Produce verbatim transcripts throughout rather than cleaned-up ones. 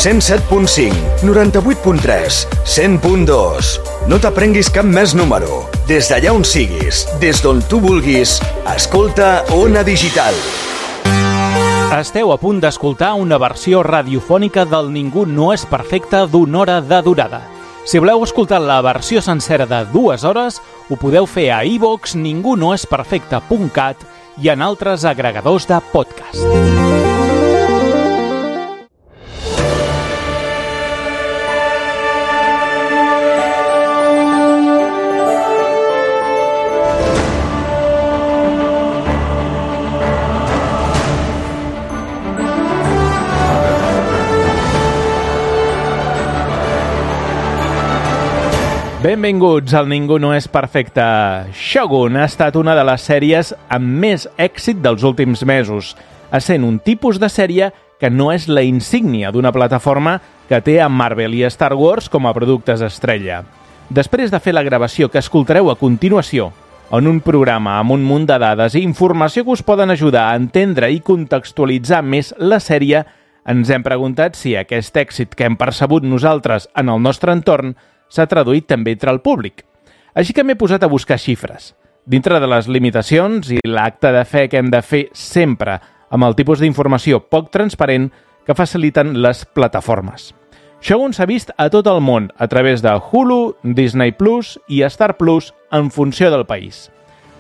cent set punt cinc, noranta-vuit punt tres, cent punt dos. No t'aprenguis cap més número. Des d'allà on siguis, des d'on tu vulguis, escolta Ona Digital. Esteu a punt d'escoltar una versió radiofònica del Ningú no és perfecte d'una hora de durada. Si voleu escoltar la versió sencera de dues hores, ho podeu fer a iVox, ningú no és perfecte punt cat i en altres agregadors de podcast. Benvinguts al Ningú no és perfecte. Shogun ha estat una de les sèries amb més èxit dels últims mesos, essent un tipus de sèrie que no és la insígnia d'una plataforma que té a Marvel i Star Wars com a productes estrella. Després de fer la gravació que escoltareu a continuació, en un programa amb un munt de dades i informació que us poden ajudar a entendre i contextualitzar més la sèrie, ens hem preguntat si aquest èxit que hem percebut nosaltres en el nostre entorn s'ha traduït també entre el públic. Així que m'he posat a buscar xifres. Dintre de les limitacions i l'acte de fe que hem de fer sempre amb el tipus d'informació poc transparent que faciliten les plataformes. Shogun s'ha vist a tot el món a través de Hulu, Disney Plus i Star Plus en funció del país.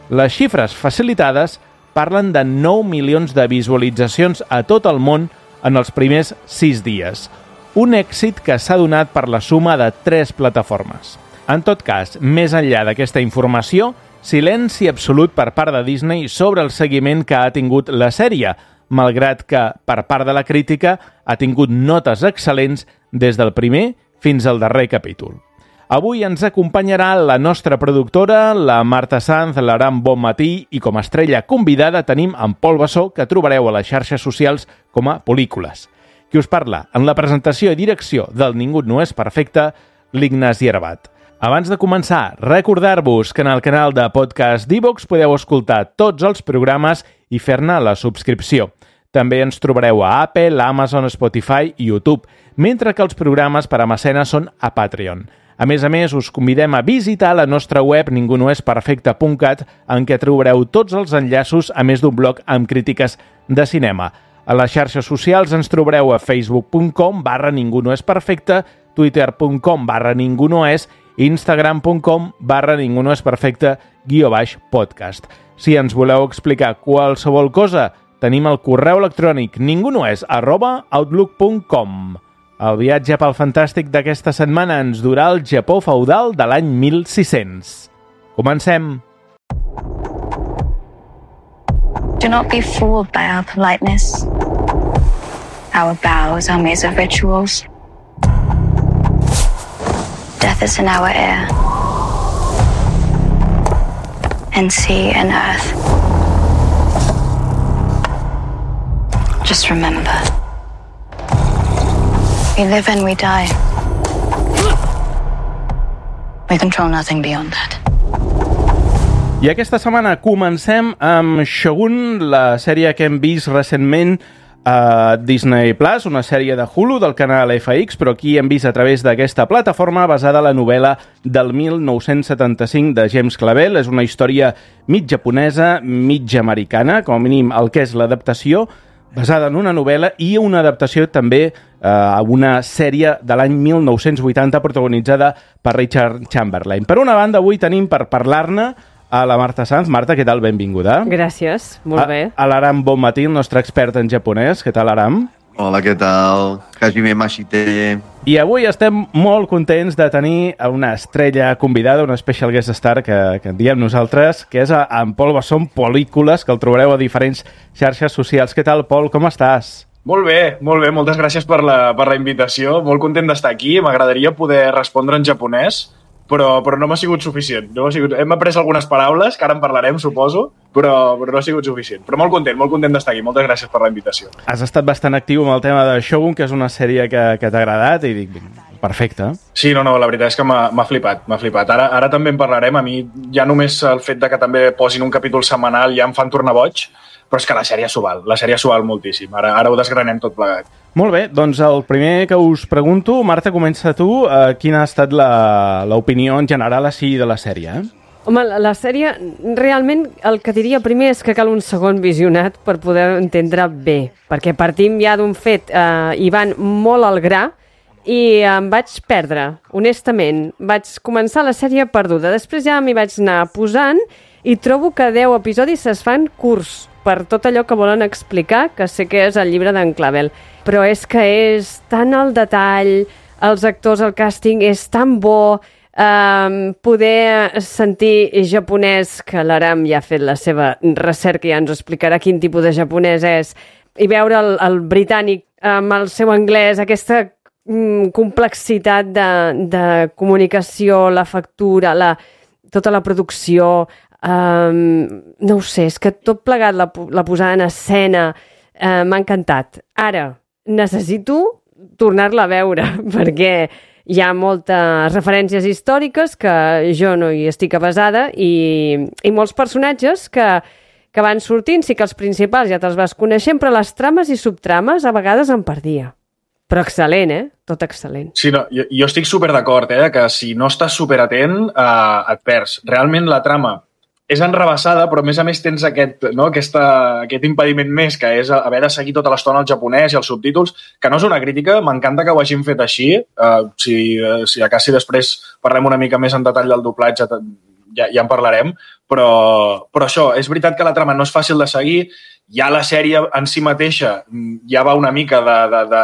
Les xifres facilitades parlen de nou milions de visualitzacions a tot el món en els primers sis dies. Un èxit que s'ha donat per la suma de tres plataformes. En tot cas, més enllà d'aquesta informació, silenci absolut per part de Disney sobre el seguiment que ha tingut la sèrie, malgrat que, per part de la crítica, ha tingut notes excel·lents des del primer fins al darrer capítol. Avui ens acompanyarà la nostra productora, la Marta Sanz, l'Aram Bonmatí, i com a estrella convidada tenim en Pol Bassó, que trobareu a les xarxes socials com a Pel·lícules. Qui us parla en la presentació i direcció del Ningú no és perfecte, l'Ignasi Arabat. Abans de començar, recordar-vos que en el canal de podcast d'iVox podeu escoltar tots els programes i fer-ne la subscripció. També ens trobareu a Apple, Amazon, Spotify i YouTube, mentre que els programes per a mecenes són a Patreon. A més a més, us convidem a visitar la nostra web ningú no és perfecte punt cat, en què trobareu tots els enllaços a més d'un blog amb crítiques de cinema. A les xarxes socials ens trobareu a facebook punt com barra ningú no és perfecte, twitter punt com barra ningú no és, instagram punt com barra ningú no és perfecte guió baix podcast. Si ens voleu explicar qualsevol cosa, tenim el correu electrònic ningunoes arroba outlook punt com. El viatge pel fantàstic d'aquesta setmana ens durà al Japó feudal de l'any mil sis-cents. Comencem! Do not be fooled by our politeness. Our bows are made of rituals. Death is in our air. And sea and earth. Just remember. We live and we die. We control nothing beyond that. I aquesta setmana comencem amb Shogun, la sèrie que hem vist recentment a Disney Plus, una sèrie de Hulu del canal F X, però aquí hem vist a través d'aquesta plataforma basada en la novel·la del mil nou-cents setanta-cinc de James Clavell. És una història mig japonesa, mig americana, com a mínim el que és l'adaptació, basada en una novel·la i una adaptació també a uh, una sèrie de l'any mil nou-cents vuitanta protagonitzada per Richard Chamberlain. Per una banda, avui tenim per parlar-ne a la Marta Sanz. Marta, què tal? Benvinguda. Gràcies, molt bé. A, a l'Aram Bonmatí, el nostre expert en japonès. Què tal, Aram? Hola, què tal? Hajime Mashite. I avui estem molt contents de tenir una estrella convidada, una special guest star que, que en diem nosaltres, que és en Pol Bassó, Pel·lícules, que el trobareu a diferents xarxes socials. Què tal, Pol? Com estàs? Molt bé, molt bé. Moltes gràcies per la, per la invitació. Molt content d'estar aquí. M'agradaria poder respondre en japonès, però, però no m'ha sigut suficient. No m'ha sigut... Hem après algunes paraules, que ara en parlarem, suposo, però, però no ha sigut suficient. Però molt content, molt content d'estar aquí. Moltes gràcies per la invitació. Has estat bastant actiu amb el tema de Shogun, que és una sèrie que, que t'ha agradat, i dic, perfecte. Sí, no, no, la veritat és que m'ha flipat, m'ha flipat. Ara, ara també en parlarem. A mi ja només el fet de que també posin un capítol setmanal ja em fan tornar boig, però és que la sèrie s'ho val, la sèrie s'ho val moltíssim. Ara, ara ho desgranem tot plegat. Molt bé, doncs el primer que us pregunto, Marta, comença tu. Uh, quina ha estat l'opinió en general així de la sèrie? Eh? Home, la, la sèrie, realment el que diria primer és que cal un segon visionat per poder entendre bé, perquè partim ja d'un fet, eh, i van molt al gra, i em vaig perdre, honestament. Vaig començar la sèrie perduda, després ja m'hi vaig anar posant i trobo que deu episodis es fan curts per tot allò que volen explicar, que sé que és el llibre d'en Clavel. Però és que és tan al detall, els actors, el càsting és tan bo, um, poder sentir japonès, que l'Aram ja ha fet la seva recerca i ja ens explicarà quin tipus de japonès és, i veure el, el britànic amb el seu anglès, aquesta mm, complexitat de, de comunicació, la factura, la, tota la producció, um, no ho sé, és que tot plegat, la, la posada en escena, uh, m'ha encantat. Ara, necessito tornar-la a veure, perquè hi ha moltes referències històriques que jo no hi estic avesada i, i molts personatges que, que van sortint, sí que els principals ja te'ls vas coneixent, però les trames i subtrames a vegades em perdia. Però excel·lent, eh? Tot excel·lent. Sí, no, jo, jo estic super d'acord, eh? Que si no estàs superatent, eh, et perds. Realment la trama és enrebaçada, però a més a més tens aquest, no, aquesta, aquest impediment més, que és haver de seguir tota l'estona el japonès i els subtítols, que no és una crítica, m'encanta que ho hagin fet així. Uh, si, uh, si acá si després parlem una mica més en detall del doblatge, ja, ja en parlarem, però, però això, és veritat que la trama no és fàcil de seguir, ja la sèrie en si mateixa ja va una mica de, de, de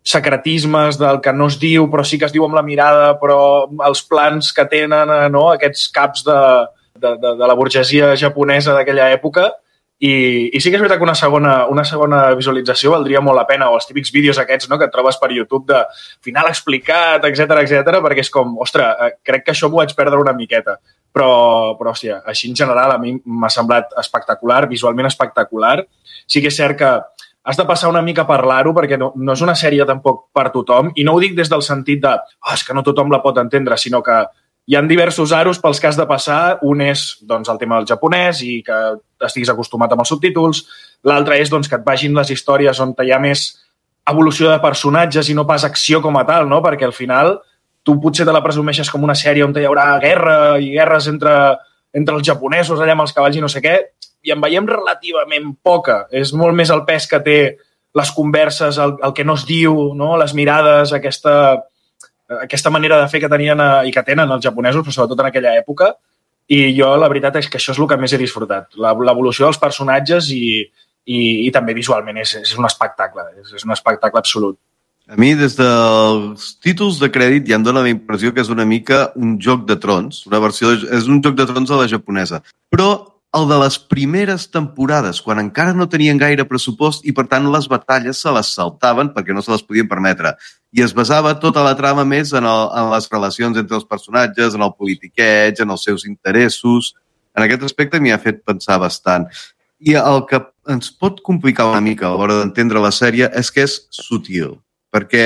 secretismes del que no es diu, però sí que es diu amb la mirada, però els plans que tenen, no, aquests caps de De, de, de la burgesia japonesa d'aquella època i, i sí que és veritat que una segona, una segona visualització valdria molt la pena, o els típics vídeos aquests, no, que et trobes per YouTube de final explicat, etcètera, etcètera, perquè és com, ostres, crec que això m'ho vaig perdre una miqueta, però, però hòstia, així en general a mi m'ha semblat espectacular, visualment espectacular. Sí que és cert que has de passar una mica a parlar-ho perquè no, no és una sèrie tampoc per tothom, i no ho dic des del sentit de oh, és que no tothom la pot entendre, sinó que hi ha diversos aros pels que has de passar. Un és doncs, el tema del japonès i que estiguis acostumat amb els subtítols. L'altre és doncs, que et vagin les històries on hi ha més evolució de personatges i no pas acció com a tal, no? Perquè al final tu potser te la presumeixes com una sèrie on hi haurà guerra i guerres entre, entre els japonesos allà amb els cavalls i no sé què, i en veiem relativament poca. És molt més el pes que té les converses, el, el que no es diu, no? Les mirades, aquesta... aquesta manera de fer que tenien i que tenen els japonesos, però sobretot en aquella època, i jo la veritat és que això és el que més he disfrutat, l'evolució dels personatges i, i, i també visualment és, és un espectacle, és, és un espectacle absolut. A mi, des dels títols de crèdit, ja em dóna la impressió que és una mica un joc de trons, una versió de, és un joc de trons a la japonesa, però el de les primeres temporades, quan encara no tenien gaire pressupost i, per tant, les batalles se les saltaven perquè no se les podien permetre. I es basava tota la trama més en, el, en les relacions entre els personatges, en el politiqueig, en els seus interessos. En aquest aspecte m'hi ha fet pensar bastant. I el que ens pot complicar una mica a l'hora d'entendre la sèrie és que és sutil, perquè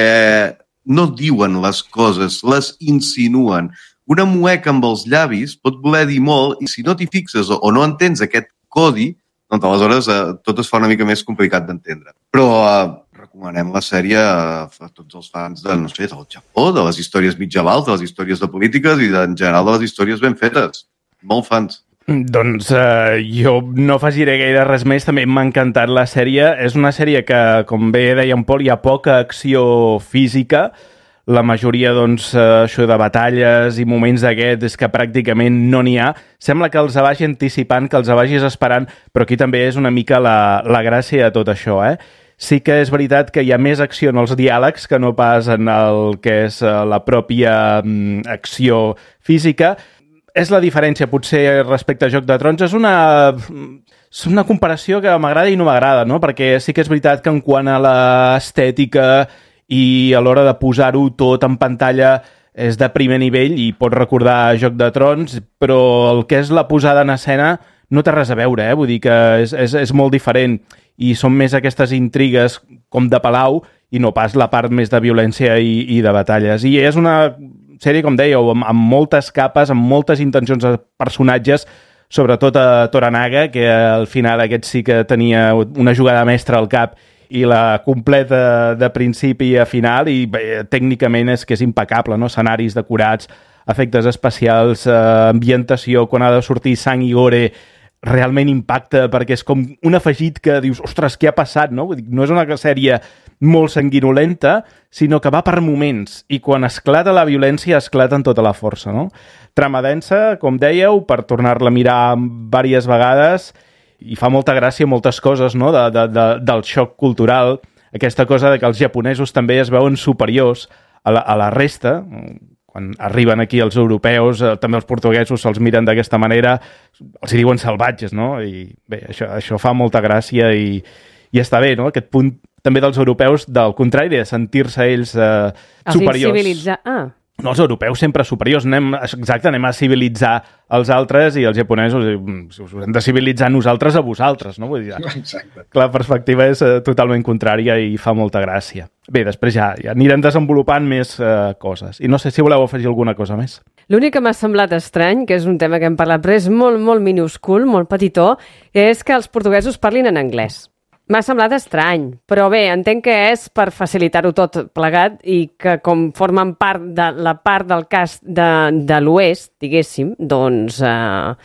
no diuen les coses, les insinuen. Una mueca amb els llavis pot voler dir molt i si no t'hi fixes o, o no entens aquest codi, doncs aleshores eh, tot es fa una mica més complicat d'entendre. Però eh, recomanem la sèrie a, a tots els fans de, no sé, del Japó, de les històries mitjavals, de les històries de polítiques i en general de les històries ben fetes. Molt fans. Doncs uh, jo no afegiré gaire res més, també m'ha encantat la sèrie. És una sèrie que, com bé deia en Pol, hi ha poca acció física. La majoria, doncs, això de batalles i moments d'aquests és que pràcticament no n'hi ha. Sembla que els vagi anticipant, que els vagis esperant, però aquí també és una mica la, la gràcia de tot això, eh? Sí que és veritat que hi ha més acció en els diàlegs que no pas en el que és la pròpia um, acció física. És la diferència, potser, respecte a Joc de Trons. És una, és una comparació que m'agrada i no m'agrada, no? Perquè sí que és veritat que en quant a l'estètica i a l'hora de posar-ho tot en pantalla és de primer nivell i pot recordar Joc de Trons, però el que és la posada en escena no té res a veure, eh? Vull dir que és, és, és molt diferent i són més aquestes intrigues com de palau i no pas la part més de violència i, i de batalles. I és una sèrie, com dèieu, amb, amb moltes capes, amb moltes intencions de personatges, sobretot a Toranaga, que al final aquest sí que tenia una jugada mestra al cap i la completa de principi a final i bé, tècnicament és que és impecable, no? Escenaris decorats, efectes especials, eh, ambientació, quan ha de sortir sang i gore, realment impacta perquè és com un afegit que dius, ostres, què ha passat, no? Vull dir, no és una sèrie molt sanguinolenta, sinó que va per moments i quan esclata la violència esclata en tota la força, no? Trama densa, com dèieu, per tornar-la a mirar diverses vegades i fa molta gràcia moltes coses, no? de, de, de, del xoc cultural, aquesta cosa de que els japonesos també es veuen superiors a la, a la resta. Quan arriben aquí els europeus, eh, també els portuguesos se'ls miren d'aquesta manera, els hi diuen salvatges, no? I bé, això, això fa molta gràcia i, i està bé, no? Aquest punt també dels europeus, del contrari, de sentir-se ells eh, superiors. Els civilitzar. Ah. No, els europeus sempre superiors. Anem, exacte, anem a civilitzar els altres i els japonesos us hem de civilitzar nosaltres a vosaltres, no? Vull dir, exacte. La perspectiva és eh, totalment contrària i fa molta gràcia. Bé, després ja, ja anirem desenvolupant més eh, coses. I no sé si voleu afegir alguna cosa més. L'únic que m'ha semblat estrany, que és un tema que hem parlat, però és molt, molt minúscul, molt petitó, és que els portuguesos parlin en anglès. M'ha semblat estrany, però bé, entenc que és per facilitar-ho tot plegat i que com formen part de la part del cast de, de l'Oest, diguéssim, doncs eh,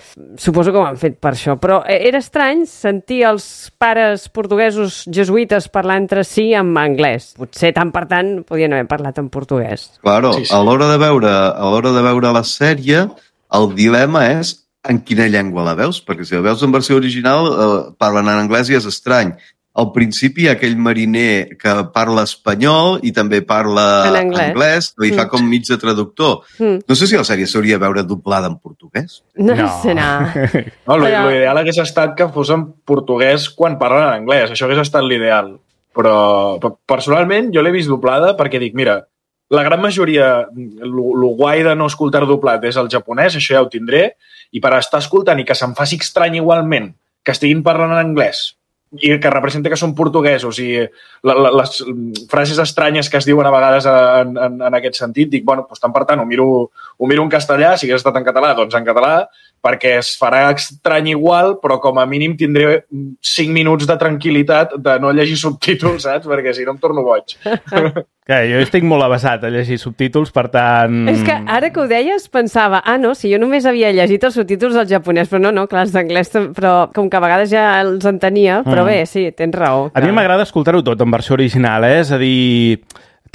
suposo que ho han fet per això. Però era estrany sentir els pares portuguesos jesuïtes parlar entre si en anglès. Potser tant per tant podien haver parlat en portuguès. Claro, sí, sí. a l'hora de veure, a l'hora de veure la sèrie, el dilema és en quina llengua la veus, perquè si la veus en versió original eh, parlen en anglès i és estrany. Al principi hi ha aquell mariner que parla espanyol i també parla en anglès, anglès que li fa com mig de traductor. Mm. No sé si la sèrie s'hauria de veure doblada en portuguès. No, No. sé anar. No, Però- l'ideal hagués estat que fos en portuguès quan parlen en anglès. Això hagués estat l'ideal. Però, però personalment jo l'he vist doblada perquè dic, mira, la gran majoria, el guai de no escoltar doblat és el japonès, això ja ho tindré, i per estar escoltant i que se'm faci estrany igualment que estiguin parlant en anglès i que representa que són portuguesos i la, la, les frases estranyes que es diuen a vegades en, en, en aquest sentit, dic, bueno, doncs tant per tant, ho miro, ho miro en castellà, si hagués estat en català, doncs en català, perquè es farà estrany igual, però com a mínim tindré cinc minuts de tranquil·litat de no llegir subtítols, saps? Perquè si no em torno boig. Que jo estic molt avasat a llegir subtítols, per tant... És que ara que ho deies pensava, ah, no, si jo només havia llegit els subtítols del japonès, però no, no, clar, els d'anglès, però com que a vegades ja els entenia, però bé, sí, tens raó. A mi m'agrada escoltar-ho tot en versió original, eh? És a dir,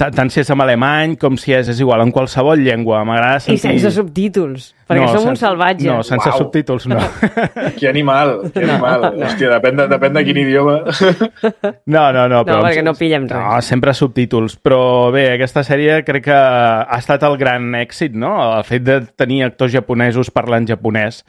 tant, tant si és en alemany com si és, és igual, en qualsevol llengua. M'agrada I sentir... sense subtítols, perquè No, som sen- uns salvatges. No, sense Uau. subtítols no. Que animal, que animal. Hòstia, depèn de, depèn de quin idioma. No, no, no. Però, perquè no pillem res. No, sempre subtítols. Però bé, aquesta sèrie crec que ha estat el gran èxit, no? El fet de tenir actors japonesos parlant japonès.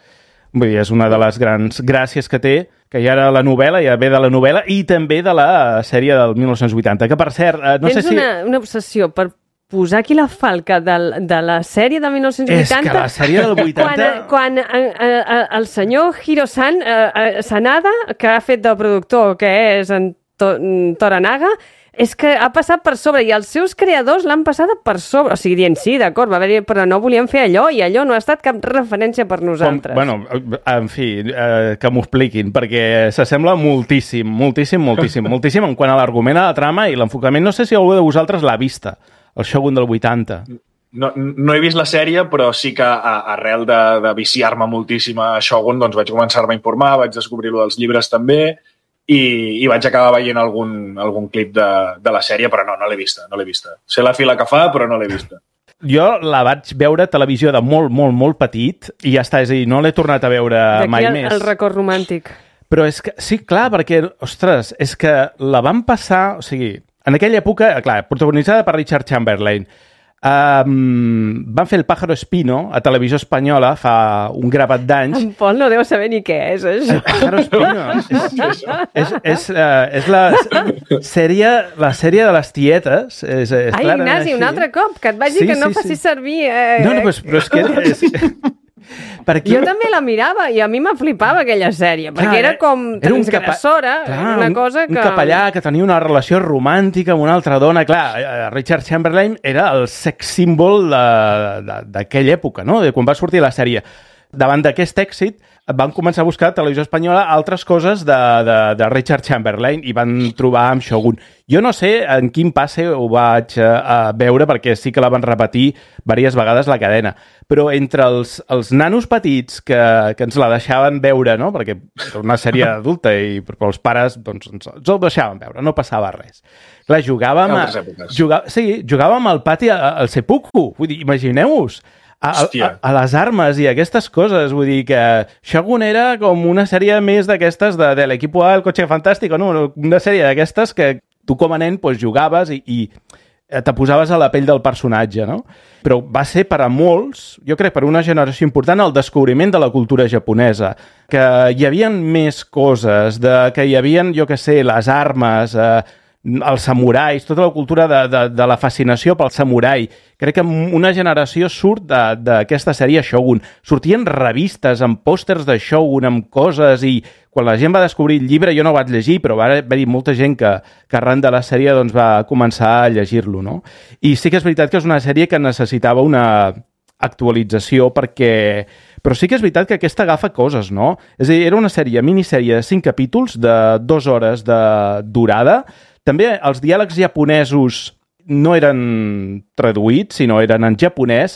Vull dir, és una de les grans gràcies que té, que ja era la novel·la, ja ve de la novel·la i també de la sèrie del mil nou-cents vuitanta, que per cert, eh, no Tens sé si... una, una obsessió per posar aquí la falca del, de la sèrie del mil nou-cents vuitanta. És que la sèrie del vuitanta... Quan, quan eh, eh, el senyor Hiro-san eh, eh, Sanada, que ha fet de productor, que és en to Toranaga, és que ha passat per sobre i els seus creadors l'han passat per sobre. O sigui, dient, sí, d'acord, va haver-hi, però no volien fer allò i allò no ha estat cap referència per nosaltres. Com, bueno, en fi, eh, que m'ho expliquin, perquè s'assembla moltíssim, moltíssim, moltíssim, moltíssim en quant a l'argument, a la trama i l'enfocament. No sé si algú de vosaltres l'ha vista, el Shogun del vuitanta. No, no he vist la sèrie, però sí que a, arrel de, de viciar-me moltíssim a Shogun, doncs vaig començar-me a informar, vaig descobrir-lo dels llibres també, i, i vaig acabar veient algun, algun clip de, de la sèrie, però no, no l'he vista, no l'he vista. Sé la fila que fa, però no l'he vista. Jo la vaig veure a televisió de molt, molt, molt petit i ja està, és a dir, no l'he tornat a veure mai el, més. el record romàntic. Però és que, sí, clar, perquè, ostres, és que la van passar, o sigui, en aquella època, clar, protagonitzada per Richard Chamberlain, Um, van fer El pájaro espino a Televisió Espanyola fa un grapat d'anys. En Pol no deu saber ni què és, això. El pájaro espino és, és, és, uh, és la sèrie, la sèrie de les tietes. És, és Ai, clar, Ignasi, així. un altre cop, que et vaig Sí, dir que no sí, facis sí. servir... Eh, No, no, però, és- però és que... És, per aquí... Jo també la mirava i a mi me flipava aquella sèrie, perquè Clar, era com era un capa- transgressora, Clar, una un- cosa que... Un capellà que tenia una relació romàntica amb una altra dona. Clar, eh, Richard Chamberlain era el sex símbol de- de- d'aquella època, no? De quan va sortir la sèrie. davant d'aquest èxit, van començar a buscar a Televisió Espanyola altres coses de, de, de Richard Chamberlain i van trobar amb Shogun. Jo no sé en quin passe ho vaig a veure, perquè sí que la van repetir diverses vegades la cadena, però entre els, els nanos petits que, que ens la deixaven veure, no? Perquè era una sèrie adulta i però els pares doncs, ens, ens el deixaven veure, no passava res. Clar, jugàvem, a, jugà, sí, jugàvem al pati al seppuku, vull dir, imagineu-vos, a, a, a les armes i aquestes coses, vull dir que Shogun era com una sèrie més d'aquestes de, de l'equipo A, el cotxe fantàstic, no? Una sèrie d'aquestes que tu com a nen pues, jugaves i, i te posaves a la pell del personatge, no? Però va ser per a molts, jo crec per una generació important, el descobriment de la cultura japonesa, que hi havia més coses, de, que hi havia, jo que sé, les armes, eh, els samurais, tota la cultura de, de, de la fascinació pel samurai. Crec que una generació surt d'aquesta sèrie Shogun. Sortien revistes amb pòsters de Shogun, amb coses, i quan la gent va descobrir el llibre, jo no ho vaig llegir, però va haver-hi molta gent que, que arran de la sèrie doncs, va començar a llegir-lo, no? I sí que és veritat que és una sèrie que necessitava una actualització perquè... Però sí que és veritat que aquesta agafa coses, no? És a dir, era una sèrie, minissèrie de cinc capítols de dues hores de durada. També els diàlegs japonesos no eren traduïts, sinó eren en japonès,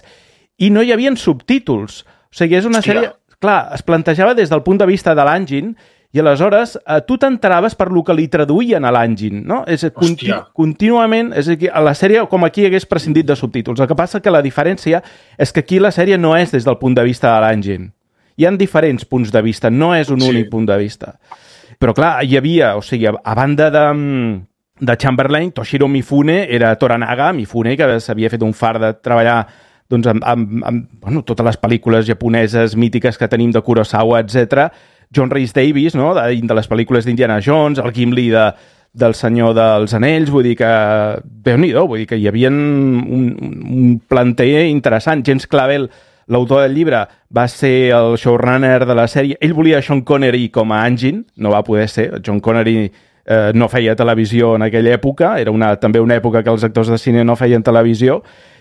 i no hi havia subtítols. O sigui, és una Hòstia. sèrie... Clar, es plantejava des del punt de vista de l'engine, i aleshores eh, tu t'enteraves per lo que li traduïen a l'engine, no? És conti contínuament... És a dir, a la sèrie, com aquí, hagués prescindit de subtítols. El que passa que la diferència és que aquí la sèrie no és des del punt de vista de l'engine. Hi ha diferents punts de vista, no és un sí. únic punt de vista. Però clar, hi havia, o sigui, a banda de... de Chamberlain, Toshiro Mifune era Toranaga, Mifune, que s'havia fet un far de treballar doncs, amb, amb, amb bueno, totes les pel·lícules japoneses mítiques que tenim de Kurosawa, etcètera. John Rhys Davies, no? de, de les pel·lícules d'Indiana Jones, el Gimli de, del Senyor dels Anells, vull dir que... Déu-n'hi-do, vull dir que hi havia un, un planter interessant. James Clavell, l'autor del llibre, va ser el showrunner de la sèrie. Ell volia Sean Connery com a engine, no va poder ser. John Connery Eh, no feia televisió en aquella època, era una, també una època que els actors de cine no feien televisió,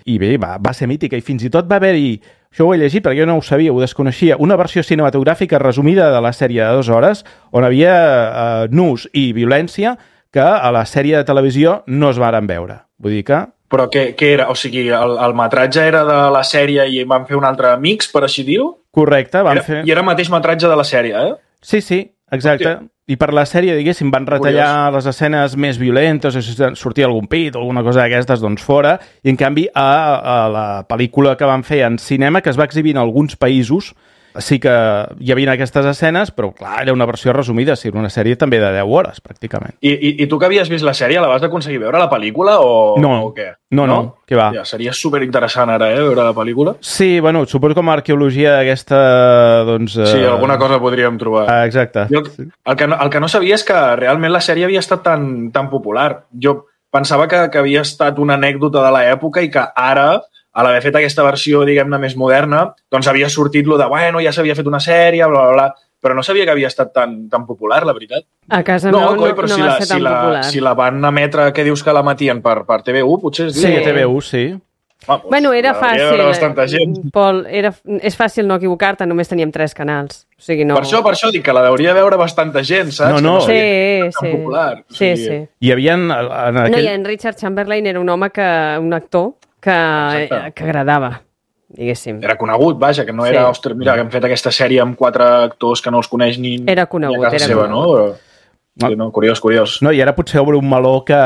i bé, va, va ser mítica, i fins i tot va haver-hi, això ho he llegit perquè jo no ho sabia, ho desconeixia, una versió cinematogràfica resumida de la sèrie de dues hores, on havia eh, nus i violència que a la sèrie de televisió no es varen veure. Vull dir que... Però què, què era? O sigui, el, el metratge era de la sèrie i van fer un altre mix, per així dir-ho? Correcte, van era, fer... I era el mateix metratge de la sèrie, eh? Sí, sí, exacte. Hòstia. I per la sèrie, diguéssim, van retallar Curiós. les escenes més violentes, o si sortia algun pit o alguna cosa d'aquestes, doncs fora, i en canvi a, a la pel·lícula que van fer en cinema, que es va exhibir en alguns països, sí que hi havia aquestes escenes, però clar, era una versió resumida, sí, una sèrie també de deu hores, pràcticament. I, i, i tu que havies vist la sèrie, la vas aconseguir veure la pel·lícula o, no. o què? No, no, no, què va. Ja, seria superinteressant ara, eh, veure la pel·lícula. Sí, bueno, suposo com a arqueologia d'aquesta, doncs... Eh... Sí, alguna cosa podríem trobar. Ah, exacte. Jo, el, que no, el que no sabia és que realment la sèrie havia estat tan, tan popular. Jo pensava que, que havia estat una anècdota de l'època i que ara... a l'haver fet aquesta versió, diguem-ne, més moderna, doncs havia sortit lo de, bueno, ja s'havia fet una sèrie, bla, bla, bla, però no sabia que havia estat tan, tan popular, la veritat. A casa no, meu no, coi, no, no si va la, ser si tan la, popular. Si la van emetre, que dius que la matien per, per T V u, potser es diu? Sí, T V u, sí. Ah, doncs, bueno, era fàcil. Gent. Pol, era, és fàcil no equivocar-te, només teníem tres canals. O sigui, no... Per això, per això dic que la hauria veure bastanta gent, saps? No, no. Que no sí, tan sí. popular. O Sí, sigui... sí. Hi havia... En aquell... No, i en Richard Chamberlain era un home que... un actor que, que agradava, diguéssim. Era conegut, vaja, que no era... Sí. Ostres, mira, que hem fet aquesta sèrie amb quatre actors que no els coneix ni, era conegut, ni a casa era seva, conegut. no? Però... Sí, no? Curiós, curiós. No, i ara potser obre un meló que...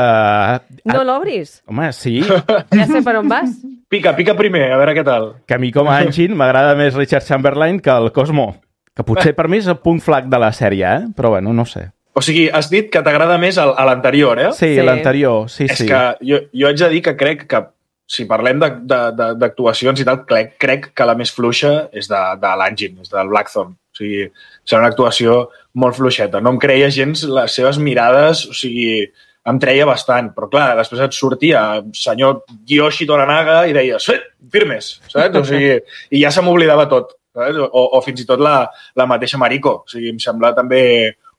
No l'obris? Home, sí. Ja sé per on vas. Pica, pica primer, a veure què tal. Que a mi com a engine m'agrada més Richard Chamberlain que el Cosmo. Que potser per mi és el punt flac de la sèrie, eh? Però bueno, no sé. O sigui, has dit que t'agrada més el, a l'anterior, eh? Sí, Sí. l'anterior, sí, És sí. que jo, jo haig de dir que crec que, si parlem d'actuacions i tal, crec, crec que la més fluixa és de, de l'Engine, és del Blackthorne. O sigui, serà una actuació molt fluixeta. No em creia gens les seves mirades, o sigui, em treia bastant. Però clar, després et sortia senyor Kiyoshi Toranaga i deies, eh, firmes, saps? O sigui, i ja se m'oblidava tot. Saps? O, o fins i tot la, la mateixa Mariko. O sigui, em sembla també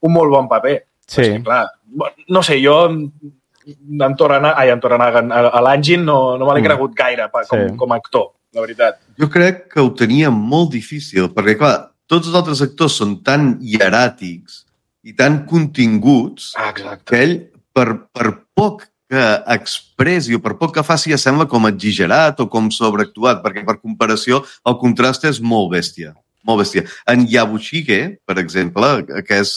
un molt bon paper. Sí. Però, clar, no sé, jo en Toranaga, ai, en Toranaga, a l'Engine no, no me l'he cregut gaire pa, com, Sí. com a actor, la veritat. Jo crec que ho tenia molt difícil, perquè, clar, tots els altres actors són tan hieràtics i tan continguts Ah, exacte. que ell, per, per poc que expressi o per poc que faci, ja sembla com exagerat o com sobreactuat, perquè per comparació el contrast és molt bèstia. Molt bèstia. En Yabushige, per exemple, que és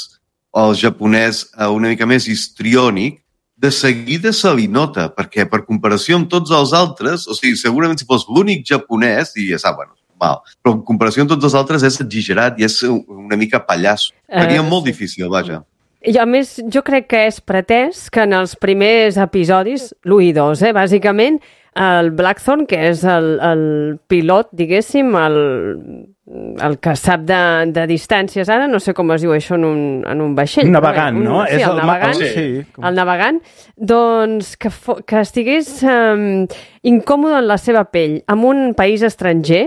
el japonès una mica més histriònic, de seguida se li nota, perquè per comparació amb tots els altres, o sigui, segurament si fos l'únic japonès, i ja sap, bueno, mal, però en comparació amb tots els altres és exagerat i és una mica pallasso. Tenia Uh, molt difícil, vaja. I a més, jo crec que és pretès que en els primers episodis, l'u i dos, eh, bàsicament, el Blackthorn, que és el, el pilot, diguéssim, el, el que sap de, de distàncies ara, no sé com es diu això en un, en un vaixell. Navegant, però, no? Sí, És el, el navegant. ma- sí, com- El navegant, doncs que, fo, que estigués um, incòmode en la seva pell, en un país estranger,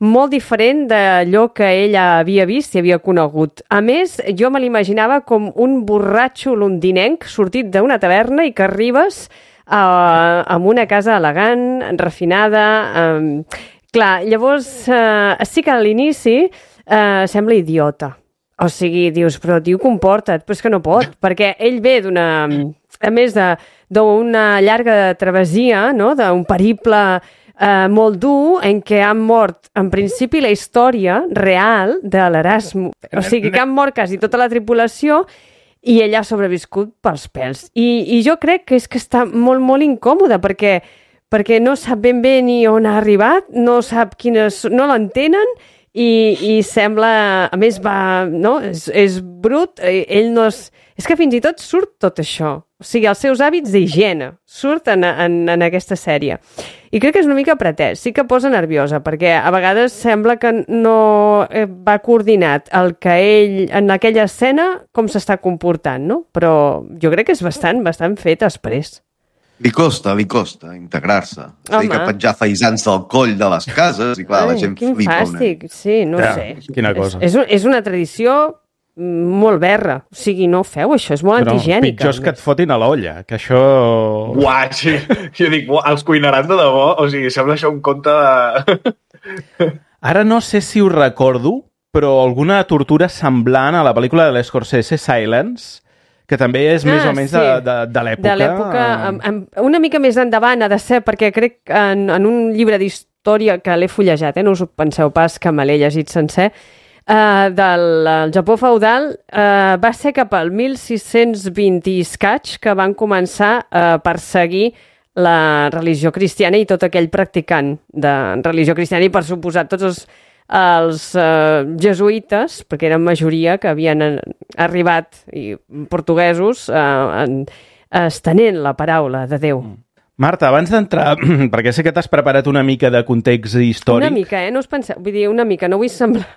molt diferent d'allò que ella havia vist i havia conegut. A més, jo me l'imaginava com un borratxo londinenc sortit d'una taverna i que arribes a, a una casa elegant, refinada. Um, clar, llavors, uh, sí que a l'inici uh, sembla idiota. O sigui, dius, però tio, comporta't, però és que no pot, perquè ell ve d'una... A més de- d'una llarga travessia, no?, d'un periple eh, molt dur en què han mort, en principi, la història real de l'Erasmus. O sigui, que han mort quasi tota la tripulació i ell ha sobreviscut pels pèls. I, i jo crec que és que està molt, molt incòmode, perquè, perquè no sap ben bé ni on ha arribat, no sap quines... no l'entenen, i, i sembla... A més, va... no? És, és brut, ell no és... És que fins i tot surt tot això. O sigui, els seus hàbits d'higiene surten en, en, en aquesta sèrie. I crec que és una mica pretès. Sí que posa nerviosa, perquè a vegades sembla que no va coordinat el que ell, en aquella escena, com s'està comportant, no? Però jo crec que és bastant, bastant fet després. Li costa, li costa integrar-se. Es Home. dedica a penjar faisans del coll de les cases i, clar, la Ai, gent quin flipa una fàstic. Sí, no Ja, sé. quina cosa. És, és, un- és una tradició molt verra. O sigui, no ho feu, això és molt Però antigènica. pitjor és que et fotin a l'olla, que això... Uah, sí. Jo dic, uah, els cuinaran de debò? O sigui, sembla això un conte de... Ara no sé si ho recordo, però alguna tortura semblant a la pel·lícula de l'Scorsese, Silence, que també és més Ah, o menys sí. de, de, de l'època. De l'època, em- em- una mica més endavant ha de ser, perquè crec que en, en un llibre d'història que l'he fullejat, eh, no us ho penseu pas que me l'he llegit sencer, eh, del el Japó feudal, eh, va ser cap al mil sis-cents vint i escaig que van començar a perseguir la religió cristiana i tot aquell practicant de religió cristiana i, per suposat, tots els els eh, jesuïtes, perquè eren majoria que havien eh, arribat, i portuguesos, eh, en, estenent la paraula de Déu. Marta, abans d'entrar, perquè sé que t'has preparat una mica de context històric... Una mica, eh? No us penseu... Vull dir, una mica, no vull semblar...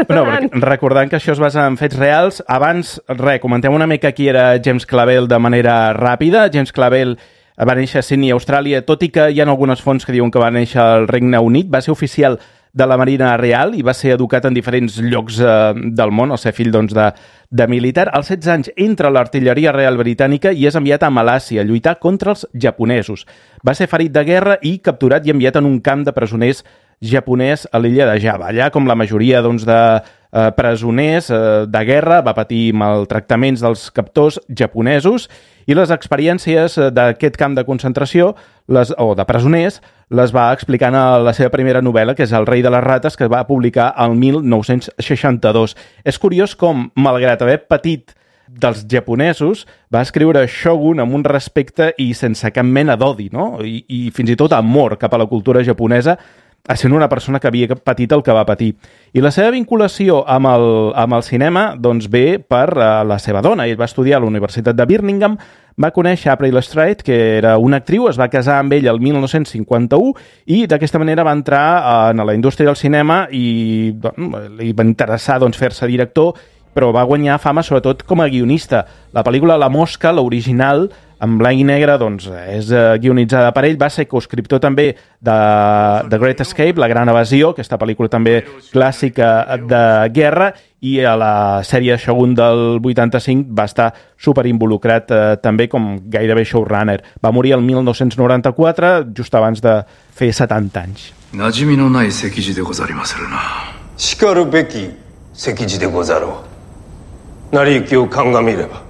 No, perquè recordant que això es basa en fets reals, abans, res, comentem una mica qui era James Clavell de manera ràpida. James Clavell va néixer a Sydney, Austràlia, tot i que hi ha algunes fonts que diuen que va néixer al Regne Unit, va ser oficial de la Marina Real i va ser educat en diferents llocs eh, del món, al ser fill doncs, de, de militar. Als setze anys entra a l'artilleria real britànica i és enviat a Malàcia a lluitar contra els japonesos. Va ser ferit de guerra i capturat i enviat en un camp de presoners japonès a l'illa de Java. Allà, com la majoria doncs, de eh, presoners eh, de guerra, va patir maltractaments dels captors japonesos i les experiències d'aquest camp de concentració les, o de presoners les va explicant a la seva primera novel·la, que és El rei de les rates, que va publicar el mil nou-cents seixanta-dos. És curiós com, malgrat haver patit dels japonesos, va escriure Shogun amb un respecte i sense cap mena d'odi, no? I, i fins i tot amor cap a la cultura japonesa, essent una persona que havia patit el que va patir. I la seva vinculació amb el, amb el cinema doncs, ve per uh, la seva dona. Ell va estudiar a la Universitat de Birmingham, va conèixer April Stride, que era una actriu, es va casar amb ell el mil nou-cents cinquanta-u i d'aquesta manera va entrar uh, en la indústria del cinema i doncs, li va interessar doncs, fer-se director, però va guanyar fama sobretot com a guionista. La pel·lícula La Mosca, l'original, en blanc i negre, doncs, és eh, guionitzada per ell. Va ser coescriptor també de The Great Escape, La Gran Evasió, aquesta pel·lícula també clàssica de guerra, i a la sèrie Shogun del vuitanta-cinc va estar superinvolucrat eh, també com gairebé showrunner. Va morir el mil nou-cents noranta-quatre, just abans de fer setanta anys. 馴染みのない席次でござりまするな。しかるべき席次でござろう。成り行きを鑑みれば。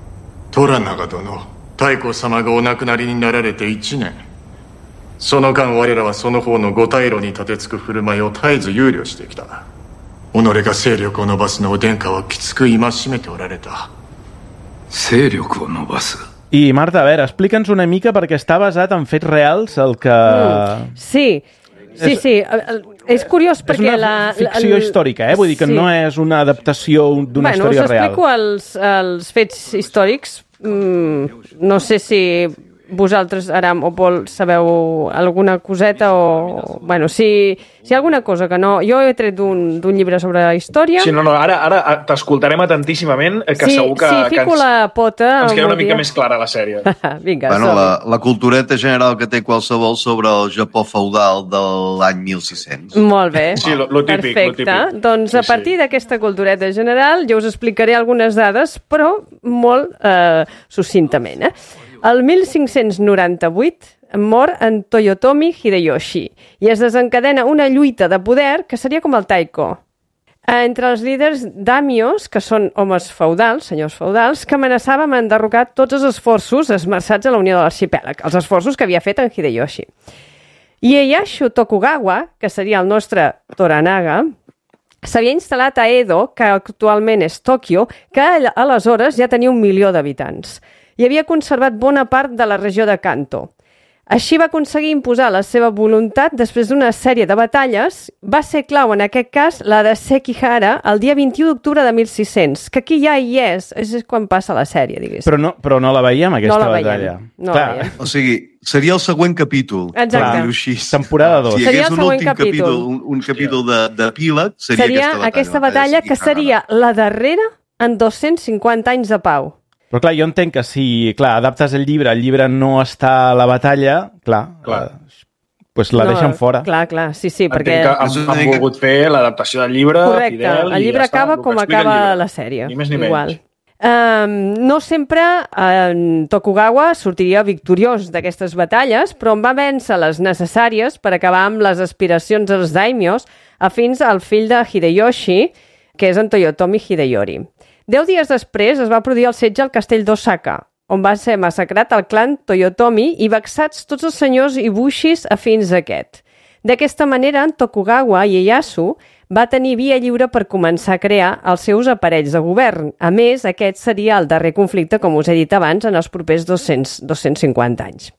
虎長殿、太閤様がお亡くなりになられて一年。その間我らはその方のご大路に立てつく振る舞いを絶えず憂慮してきた。己が勢力を伸ばすのを殿下はきつく戒めておられた。勢力を伸ばす。I, Marta, a veure, explica'ns una mica perquè està basat en fets reals el que... Mm, sí, sí, sí. És curiós perquè... És una la, ficció el... històrica, eh? Vull dir que sí. No és una adaptació d'una bueno, història real. Bueno, us explico els, els fets històrics. Mm, no sé si vosaltres, Aram o Pol, sabeu alguna coseta o... Bueno, si, si hi ha alguna cosa que no... Jo he tret d'un llibre sobre història. Sí, no, no, ara, ara t'escoltarem atentíssimament, que sí, segur que, sí, que fico ens, la pota ens queda una mica dia. més clara la sèrie. Vinga, bueno, la, la cultureta general que té qualsevol sobre el Japó feudal de l'any mil sis-cents. Molt bé. Sí, lo, lo típic. Perfecte. Lo típic. Doncs a partir sí, sí. d'aquesta cultureta general jo us explicaré algunes dades, però molt eh, succintament, eh? El mil cinc-cents noranta-vuit mor en Toyotomi Hideyoshi i es desencadena una lluita de poder que seria com el taiko. Entre els líders dàmios, que són homes feudals, senyors feudals, que amenaçaven amb enderrocar tots els esforços esmerçats a la Unió de l'Arxipèlag, els esforços que havia fet en Hideyoshi. Ieyasu Tokugawa, que seria el nostre Toranaga, s'havia instal·lat a Edo, que actualment és Tòquio, que aleshores ja tenia un milió d'habitants, i havia conservat bona part de la regió de Kanto. Així va aconseguir imposar la seva voluntat després d'una sèrie de batalles. Va ser clau en aquest cas la de Sekihara el dia vint-i-u d'octubre de mil sis-cents, que aquí ja hi és, és quan passa la sèrie, diguéssim. Però no, però no la veiem, aquesta no la batalla. Veiem. No la veiem. O sigui, seria el següent capítol. Exacte. Temporada dos. Si hi seria hagués el un següent últim capítol, capítol. un, un capítol d'epíleg, seria, seria aquesta batalla. Aquesta batalla que seria la darrera en dos-cents cinquanta anys de pau. Però clar, jo entenc que si, clar, adaptes el llibre, el llibre no està a la batalla, clar, clar. Eh, pues la no, deixen fora. Clar, clar, sí, sí, entenc perquè... que han, han volgut fer l'adaptació del llibre correcte, fidel. El llibre ja acaba està, com acaba la sèrie. Ni més ni igual. menys. Um, no sempre en Tokugawa sortiria victoriós d'aquestes batalles, però en va vèncer les necessàries per acabar amb les aspiracions dels daimios afins al fill de Hideyoshi, que és en Toyotomi Hideyori. Deu dies després es va produir el setge al castell d'Osaka, on va ser massacrat el clan Toyotomi i vexats tots els senyors ibushis afins a aquest. D'aquesta manera, en Tokugawa Ieyasu va tenir via lliure per començar a crear els seus aparells de govern. A més, aquest seria el darrer conflicte, com us he dit abans, en els propers dos-cents a dos-cents cinquanta anys.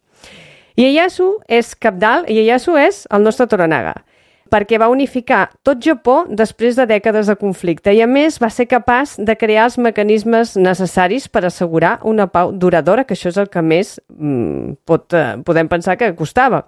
Ieyasu és cabdal, Ieyasu és el nostre Toranaga, perquè va unificar tot Japó després de dècades de conflicte i, a més, va ser capaç de crear els mecanismes necessaris per assegurar una pau duradora, que això és el que més mm, pot, eh, podem pensar que costava.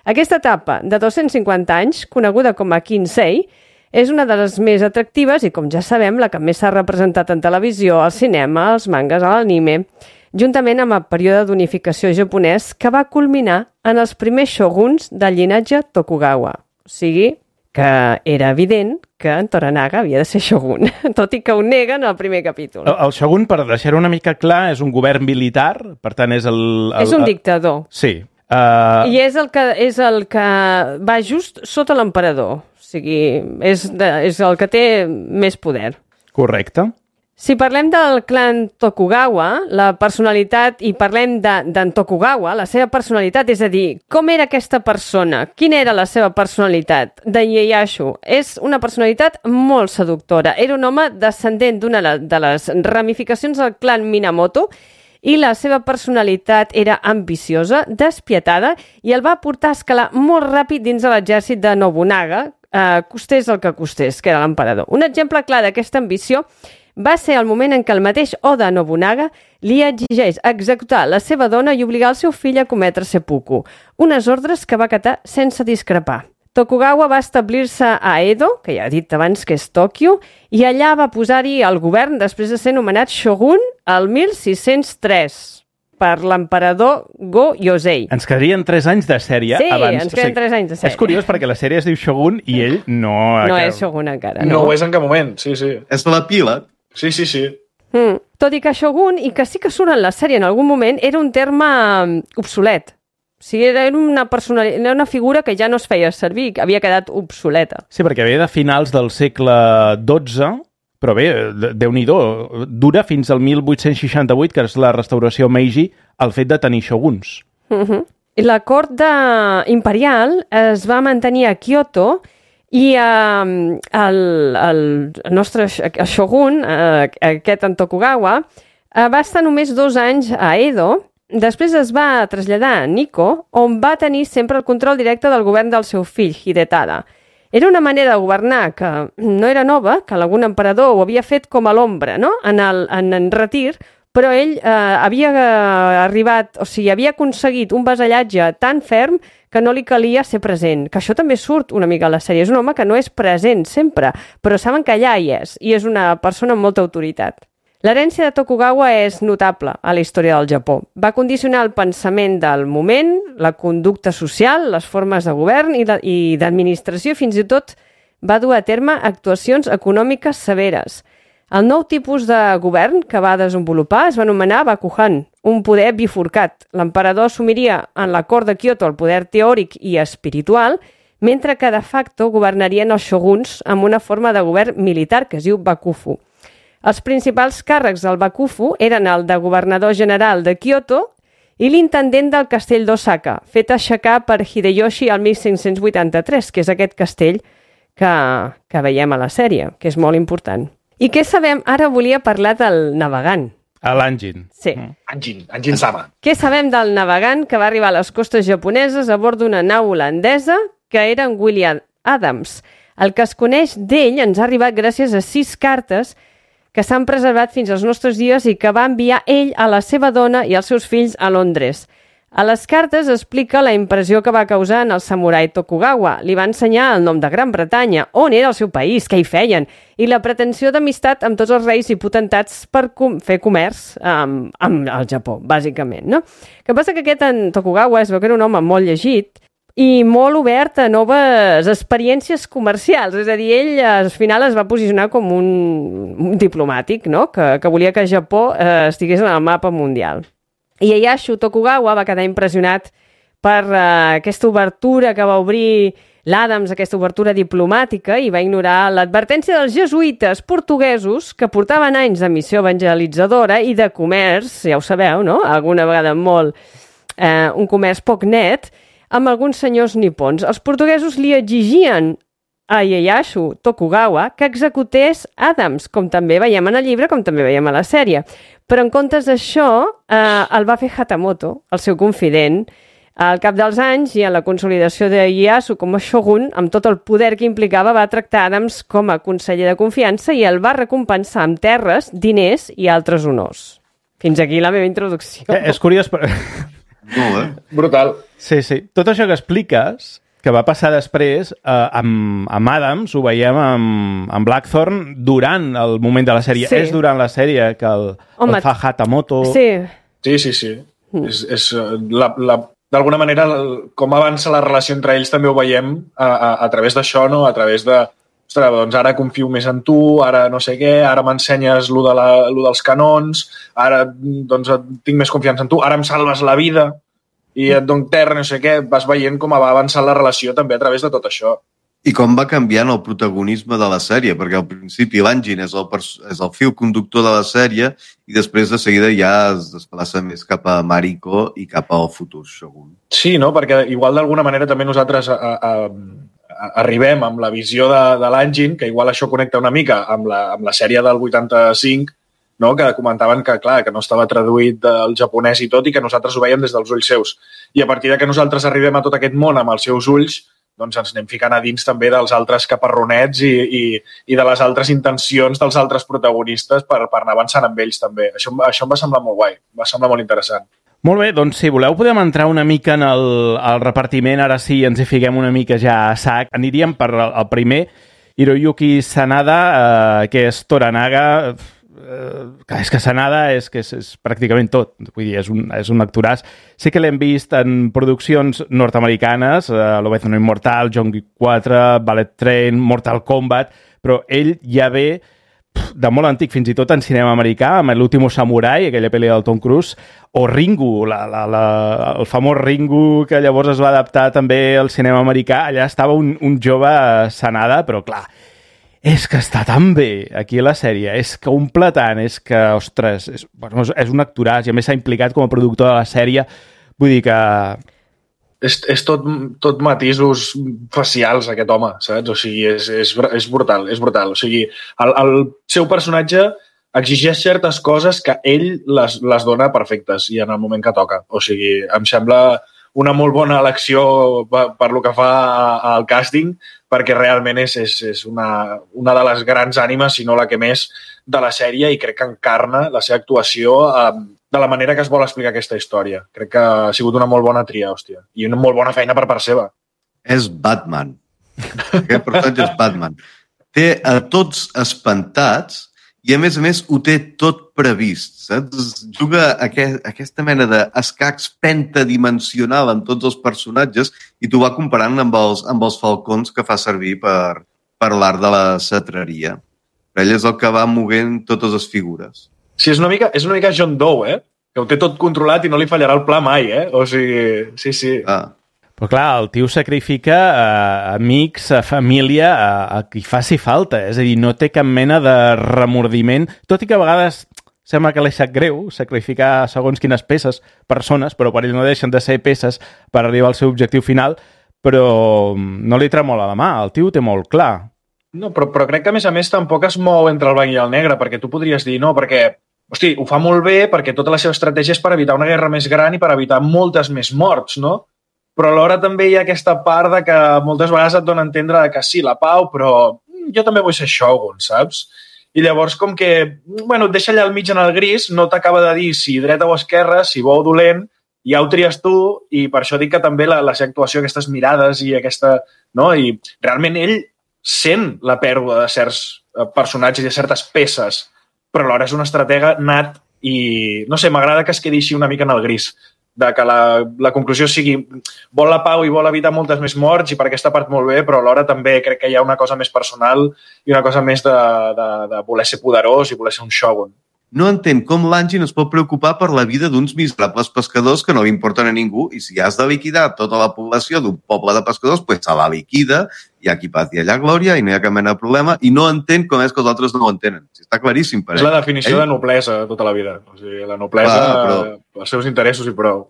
Aquesta etapa de dos-cents cinquanta anys, coneguda com a Kinsei, és una de les més atractives i, com ja sabem, la que més s'ha representat en televisió, al cinema, als mangas, a l'anime, juntament amb el període d'unificació japonès que va culminar en els primers shoguns del llinatge Tokugawa. O sigui, que era evident que en Toranaga havia de ser shogun, tot i que ho neguen al primer capítol. El, el shogun, per deixar-ho una mica clar, és un govern militar, per tant és el... el és un dictador. Sí. Uh... I és el, que, és el que va just sota l'emperador. O sigui, és, de, és el que té més poder. Correcte. Si parlem del clan Tokugawa, la personalitat, i parlem d'en de, Tokugawa, la seva personalitat, és a dir, com era aquesta persona? Quina era la seva personalitat? De Ieyasu. És una personalitat molt seductora. Era un home descendent d'una de les ramificacions del clan Minamoto i la seva personalitat era ambiciosa, despietada, i el va portar a escalar molt ràpid dins de l'exèrcit de Nobunaga, eh, costés el que costés, que era l'emperador. Un exemple clar d'aquesta ambició va ser el moment en què el mateix Oda Nobunaga li exigeix executar la seva dona i obligar el seu fill a cometre seppuku, unes ordres que va acatar sense discrepar. Tokugawa va establir-se a Edo, que ja he dit abans que és Tòquio, i allà va posar-hi el govern després de ser nomenat shogun el mil sis-cents tres per l'emperador Go-Yosei. Ens quedarien tres anys de sèrie sí, abans. Sí, ens queden tres anys de sèrie. És curiós perquè la sèrie es diu Shogun i ell no... No és shogun encara. No, no ho és en cap moment, sí, sí. És l'epíleg. Sí, sí, sí. Mm. Tot i que shogun, i que sí que surt en la sèrie en algun moment, era un terme obsolet. O sigui, era una, personali... era una figura que ja no es feia servir, que havia quedat obsoleta. Sí, perquè ve de finals del segle dotze, però bé, Déu-n'hi-do, dura fins al mil vuit-cents seixanta-vuit, que és la restauració Meiji, el fet de tenir shoguns. Uh-huh. La cort de... imperial es va mantenir a Kyoto i eh, el, el nostre el shogun, eh, aquest en Tokugawa, eh, va estar només dos anys a Edo. Després es va traslladar a Nikko, on va tenir sempre el control directe del govern del seu fill, Hidetada. Era una manera de governar que no era nova, que algun emperador ho havia fet com a l'ombra, no? en, el, en, en retir, però ell eh, havia arribat, o sigui, havia aconseguit un vasallatge tan ferm que no li calia ser present. Que això també surt una mica a la sèrie. És un home que no és present sempre, però saben que allà hi és, i és una persona amb molta autoritat. L'herència de Tokugawa és notable a la història del Japó. Va condicionar el pensament del moment, la conducta social, les formes de govern i d'administració, fins i tot va dur a terme actuacions econòmiques severes. El nou tipus de govern que va desenvolupar es va anomenar Bakuhan, un poder bifurcat. L'emperador assumiria en la cort de Kyoto el poder teòric i espiritual, mentre que de facto governarien els shoguns amb una forma de govern militar que es diu Bakufu. Els principals càrrecs del Bakufu eren el de governador general de Kyoto i l'intendent del castell d'Osaka, fet aixecar per Hideyoshi al mil cinc-cents vuitanta-tres, que és aquest castell que, que veiem a la sèrie, que és molt important. I què sabem? Ara volia parlar del navegant. A l'Anjin. Sí. Anjin, Anjin-sama. Què sabem del navegant que va arribar a les costes japoneses a bord d'una nau holandesa que era en William Adams? El que es coneix d'ell ens ha arribat gràcies a sis cartes que s'han preservat fins als nostres dies i que va enviar ell a la seva dona i als seus fills a Londres. A les cartes explica la impressió que va causar en el samurai Tokugawa. Li va ensenyar el nom de Gran Bretanya, on era el seu país, què hi feien, i la pretensió d'amistat amb tots els reis i potentats per com fer comerç amb, amb el Japó, bàsicament. No? El que passa que aquest en Tokugawa es veu que era un home molt llegit i molt obert a noves experiències comercials. És a dir, ell al final es va posicionar com un, un diplomàtic, no? que, que volia que Japó eh, estigués en el mapa mundial. I Ieyasu Tokugawa va quedar impressionat per uh, aquesta obertura que va obrir l'Adams, aquesta obertura diplomàtica, i va ignorar l'advertència dels jesuïtes portuguesos que portaven anys de missió evangelitzadora i de comerç, ja ho sabeu, no? Alguna vegada molt, eh, un comerç poc net, amb alguns senyors nipons. Els portuguesos li exigien a Ieyasu Tokugawa que executés Adams, com també veiem en el llibre, com també veiem a la sèrie. Però en comptes d'això, eh, el va fer Hatamoto, el seu confident, al cap dels anys i a la consolidació de Ieyasu com a shogun, amb tot el poder que implicava, va tractar Adams com a conseller de confiança i el va recompensar amb terres, diners i altres honors. Fins aquí la meva introducció. Eh, és curiós, però... Molt bé. Brutal. Sí, sí. Tot això que expliques, que va passar després, eh, amb, amb Adams, ho veiem amb, amb Blackthorn durant el moment de la sèrie. Sí. És durant la sèrie que el, Home, el fa Hatamoto. Sí. Sí, sí, sí. Mm. És, és, la, la, d'alguna manera, com avança la relació entre ells també ho veiem a, a, a través d'això, no? A través de, ostres, doncs ara confio més en tu, ara no sé què, ara m'ensenyes lo, de la, lo dels canons, ara doncs, tinc més confiança en tu, ara em salves la vida i et dono terra, no sé què. Vas veient com va avançant la relació també a través de tot això. I com va canviant el protagonisme de la sèrie, perquè al principi l'Anjin és el, és el fil conductor de la sèrie i després de seguida ja es desplaça més cap a Mariko i cap al futur Shogun. Sí, no? Perquè igual d'alguna manera també nosaltres a, a, a, arribem amb la visió de, de l'Anjin, que igual això connecta una mica amb la, amb la sèrie del vuitanta-cinc, no? Que comentaven que, clar, que no estava traduït del japonès i tot, i que nosaltres ho veiem des dels ulls seus. I a partir de que nosaltres arribem a tot aquest món amb els seus ulls, doncs ens anem ficant a dins també dels altres caparronets i, i, i de les altres intencions dels altres protagonistes per, per anar avançant amb ells també. Això, això em va semblar molt guai, em va semblar molt interessant. Molt bé, doncs si voleu podem entrar una mica en el, el repartiment, ara sí ens hi fiquem una mica ja a sac. Aniríem per el primer, Hiroyuki Sanada, eh, que és Toranaga. Eh, és que Sanada és que és, és pràcticament tot, vull dir, és un, és un actoràs. Sé que l'hem vist en produccions nord-americanes, eh, Lobezno no Immortal, John Wick quatre, Ballet Train, Mortal Kombat, però ell ja ve de molt antic, fins i tot en cinema americà, amb l'último samurai, aquella pel·li del Tom Cruise, o Ringu, la, la, la, el famós Ringu, que llavors es va adaptar també al cinema americà. Allà estava un, un jove Sanada, però clar, és que està tan bé aquí a la sèrie, és que un platant, és que, ostres, és, bueno, és un actoràs, i a més s'ha implicat com a productor de la sèrie, vull dir que... És, és tot, tot matisos facials, aquest home, saps? O sigui, és, és, és brutal, és brutal. O sigui, el, el seu personatge exigeix certes coses que ell les, les dona perfectes i en el moment que toca. O sigui, em sembla una molt bona elecció per, per lo que fa al càsting, perquè realment és, és, és una, una de les grans ànimes, si no la que més, de la sèrie, i crec que encarna la seva actuació amb de la manera que es vol explicar aquesta història. Crec que ha sigut una molt bona tria, hòstia. I una molt bona feina per part seva. És Batman. Aquest personatge és Batman. Té a tots espantats i, a més a més, ho té tot previst. Saps? Juga aquest, aquesta mena d'escacs pentadimensional amb tots els personatges i t'ho va comparant amb els, amb els falcons que fa servir per, per l'art de la cetreria. Ell és el que va movent totes les figures. Sí, és una mica, és una mica John Doe, eh? Que ho té tot controlat i no li fallarà el pla mai, eh? O sigui, sí, sí. Ah. Però clar, el tio sacrifica a amics, a família, a, a qui faci falta. És a dir, no té cap mena de remordiment, tot i que a vegades sembla que li sap greu sacrificar segons quines peces, persones, però per ell no deixen de ser peces per arribar al seu objectiu final, però no li tremola la mà, el tio ho té molt clar. No, però, però crec que, a més a més, tampoc es mou entre el blanc i el negre, perquè tu podries dir, no, perquè, hosti, ho fa molt bé perquè tota la seva estratègia és per evitar una guerra més gran i per evitar moltes més morts, no? Però alhora també hi ha aquesta part de que moltes vegades et dona a entendre que sí, la pau, però jo també vull ser Shogun, saps? I llavors, com que, bueno, et deixa allà al mig en el gris, no t'acaba de dir si dreta o esquerra, si bo o dolent, ja ho tries tu, i per això dic que també la, la seva actuació, aquestes mirades i aquesta... No? I realment ell sent la pèrdua de certs personatges i de certes peces, però alhora és un estratega nat i, no sé, m'agrada que es quedi així una mica en el gris, de que la, la conclusió sigui vol la pau i vol evitar moltes més morts i per aquesta part molt bé, però alhora també crec que hi ha una cosa més personal i una cosa més de, de, de voler ser poderós i voler ser un shogun. No entén com l'Angie es pot preocupar per la vida d'uns miserables pescadors que no li importen a ningú, i si has de liquidar tota la població d'un poble de pescadors, pues se la liquida, hi ha qui pati allà glòria i no hi ha cap mena de problema, i no entén com és que els altres no ho entenen. Està claríssim per ell. És la definició ell... de noblesa tota la vida. O sigui, la noblesa, ah, però... els seus interessos i prou.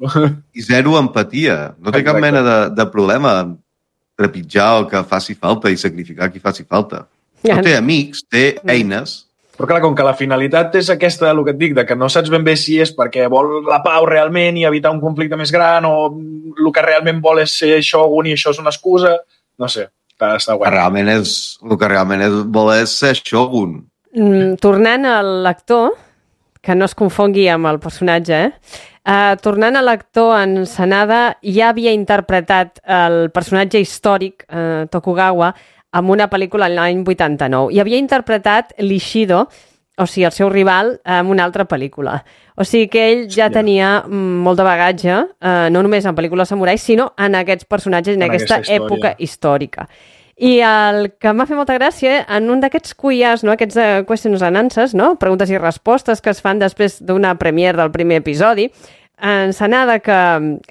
I zero empatia. No té Exacte. Cap mena de, de problema trepitjar el que faci falta i sacrificar qui faci falta. No té amics, té eines. Però clar, com que la finalitat és aquesta, el que et dic, de que no saps ben bé si és perquè vol la pau realment i evitar un conflicte més gran o el que realment vol és ser shogun i això és una excusa, no sé, està, està guai. Realment és, el que realment és, vol és ser shogun. Mm, tornant a l'actor, que no es confongui amb el personatge, eh? Uh, tornant a l'actor en Sanada, ja havia interpretat el personatge històric, uh, Tokugawa, amb una pel·lícula l'any vuitanta-nou. I havia interpretat l'Ishido, o sigui, el seu rival, en una altra pel·lícula. O sigui que ell ja tenia molt de bagatge, eh, no només en pel·lícules samurais, sinó en aquests personatges, en, en aquesta, aquesta època històrica. I el que m'ha fet molta gràcia, en un d'aquests cuiars, no, aquests uh, questions and answers, no, preguntes i respostes que es fan després d'una premiere del primer episodi, en Sanada, que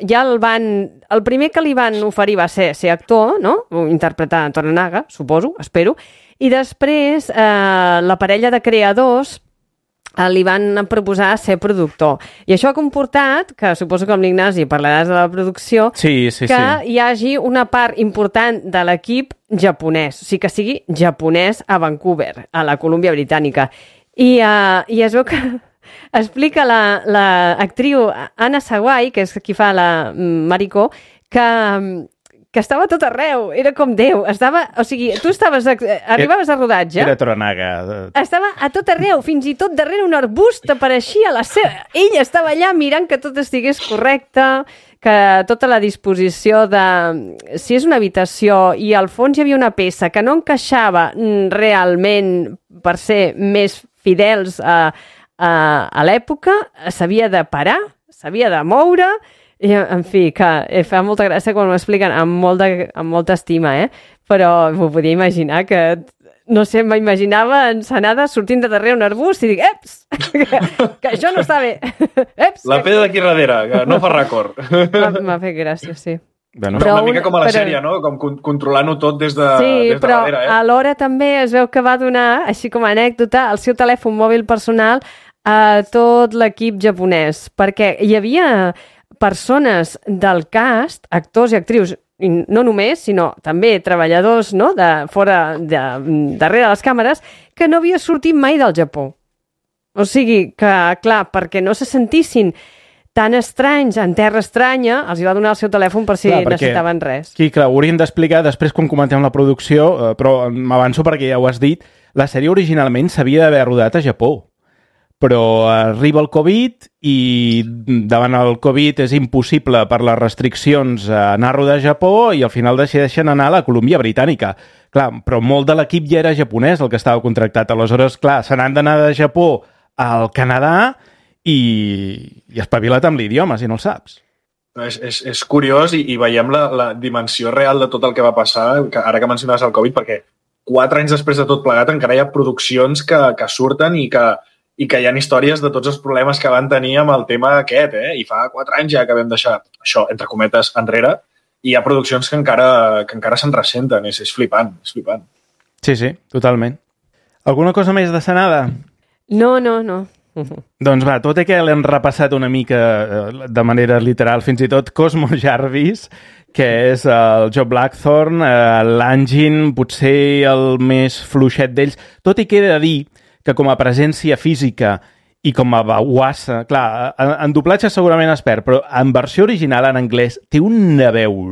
ja el van... El primer que li van oferir va ser ser actor, no? Interpretar Toranaga, suposo, espero. I després eh, la parella de creadors eh, li van proposar ser productor. I això ha comportat, que suposo que amb l'Ignasi parlaràs de la producció, sí, sí, que sí. hi hagi una part important de l'equip japonès. O sigui, que sigui japonès a Vancouver, a la Colúmbia Britànica. I, eh, i es veu que... Explica la, la actriu Anna Sawai, que és qui fa la Mariko, que, que estava a tot arreu, era com Déu. Estava, o sigui, tu estaves, arribaves a rodatge... Era Toranaga. Estava a tot arreu, fins i tot darrere un arbust apareixia la seva... Ell estava allà mirant que tot estigués correcte, que tota la disposició de... Si és una habitació i al fons hi havia una peça que no encaixava realment per ser més fidels a... Uh, a l'època s'havia de parar, s'havia de moure, i, en fi, que eh, fa molta gràcia quan m'ho expliquen amb, molt de, amb molta estima, eh? Però m'ho podia imaginar que no sé, m'imaginava en Sanada sortint de darrere un arbust i dic, eps, que, que això no està bé. Eps, la pedra d'aquí darrere, que no fa record. M'ha fet gràcia, sí. Bueno, però una mica com a la però... sèrie, no? Com controlant-ho tot des de, sí, des de però darrere. Eh? Alhora també es veu que va donar, així com a anècdota, el seu telèfon mòbil personal a tot l'equip japonès, perquè hi havia persones del cast, actors i actrius, i no només, sinó també treballadors, no?, de fora, de, darrere les càmeres, que no havia sortit mai del Japó. O sigui que, clar, perquè no se sentissin tan estranys, en terra estranya, els hi va donar el seu telèfon per si clar, necessitaven res. Sí, clar, ho hauríem d'explicar després quan comentem la producció, eh, però m'avanço perquè ja ho has dit, la sèrie originalment s'havia d'haver rodat a Japó, però arriba el Covid i davant el Covid és impossible per les restriccions anar a rodar a Japó i al final decideixen anar a la Colúmbia Britànica. Clar, però molt de l'equip ja era japonès el que estava contractat. Aleshores, clar, se n'han d'anar de Japó al Canadà i, i espavila't amb l'idioma, si no el saps. És, és, és curiós i, i veiem la, la dimensió real de tot el que va passar, que ara que mencionaves el Covid, perquè quatre anys després de tot plegat encara hi ha produccions que, que surten i que, i que hi ha històries de tots els problemes que van tenir amb el tema aquest, eh? I fa quatre anys ja que vam deixar això, entre cometes, enrere, i hi ha produccions que encara, que encara se'n ressenten. És, és flipant, és flipant. Sí, sí, totalment. Alguna cosa més de Sanada? No, no, no. Uh-huh. Doncs va, tot i que l'hem repassat una mica de manera literal, fins i tot Cosmo Jarvis, que és el Joe Blackthorne, l'Anjin, potser el més fluixet d'ells, tot i que he de dir que com a presència física i com a bauassa, clar, en, en doblatge segurament es perd, però en versió original en anglès té una veu,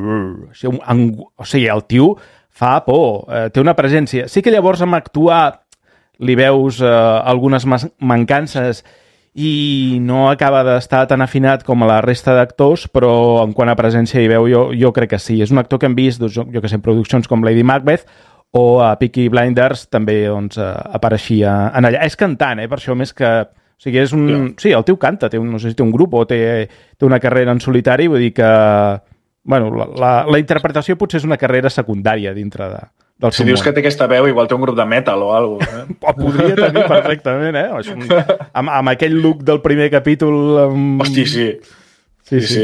o sigui, un, o sigui el tio fa por, eh, té una presència. Sí que llavors amb actuar li veus eh, algunes mancances i no acaba d'estar tan afinat com a la resta d'actors, però en quant a presència hi veu, jo, jo crec que sí. És un actor que hem vist, doncs, jo, jo que sé, en produccions com Lady Macbeth o a Peaky Blinders també doncs, eh, apareixia en allà. És cantant, eh, per això més que... O sigui, és un... Sí, sí el tio canta, té un, no sé si té un grup o té, té una carrera en solitari, vull dir que... Bueno, la, la, la interpretació potser és una carrera secundària dintre de... Si dius món. Que té aquesta veu, igual té un grup de metal o alguna cosa. Eh? O podria tenir perfectament, eh? Això, amb, amb aquell look del primer capítol... Amb... Hosti, sí. Sí, sí. sí.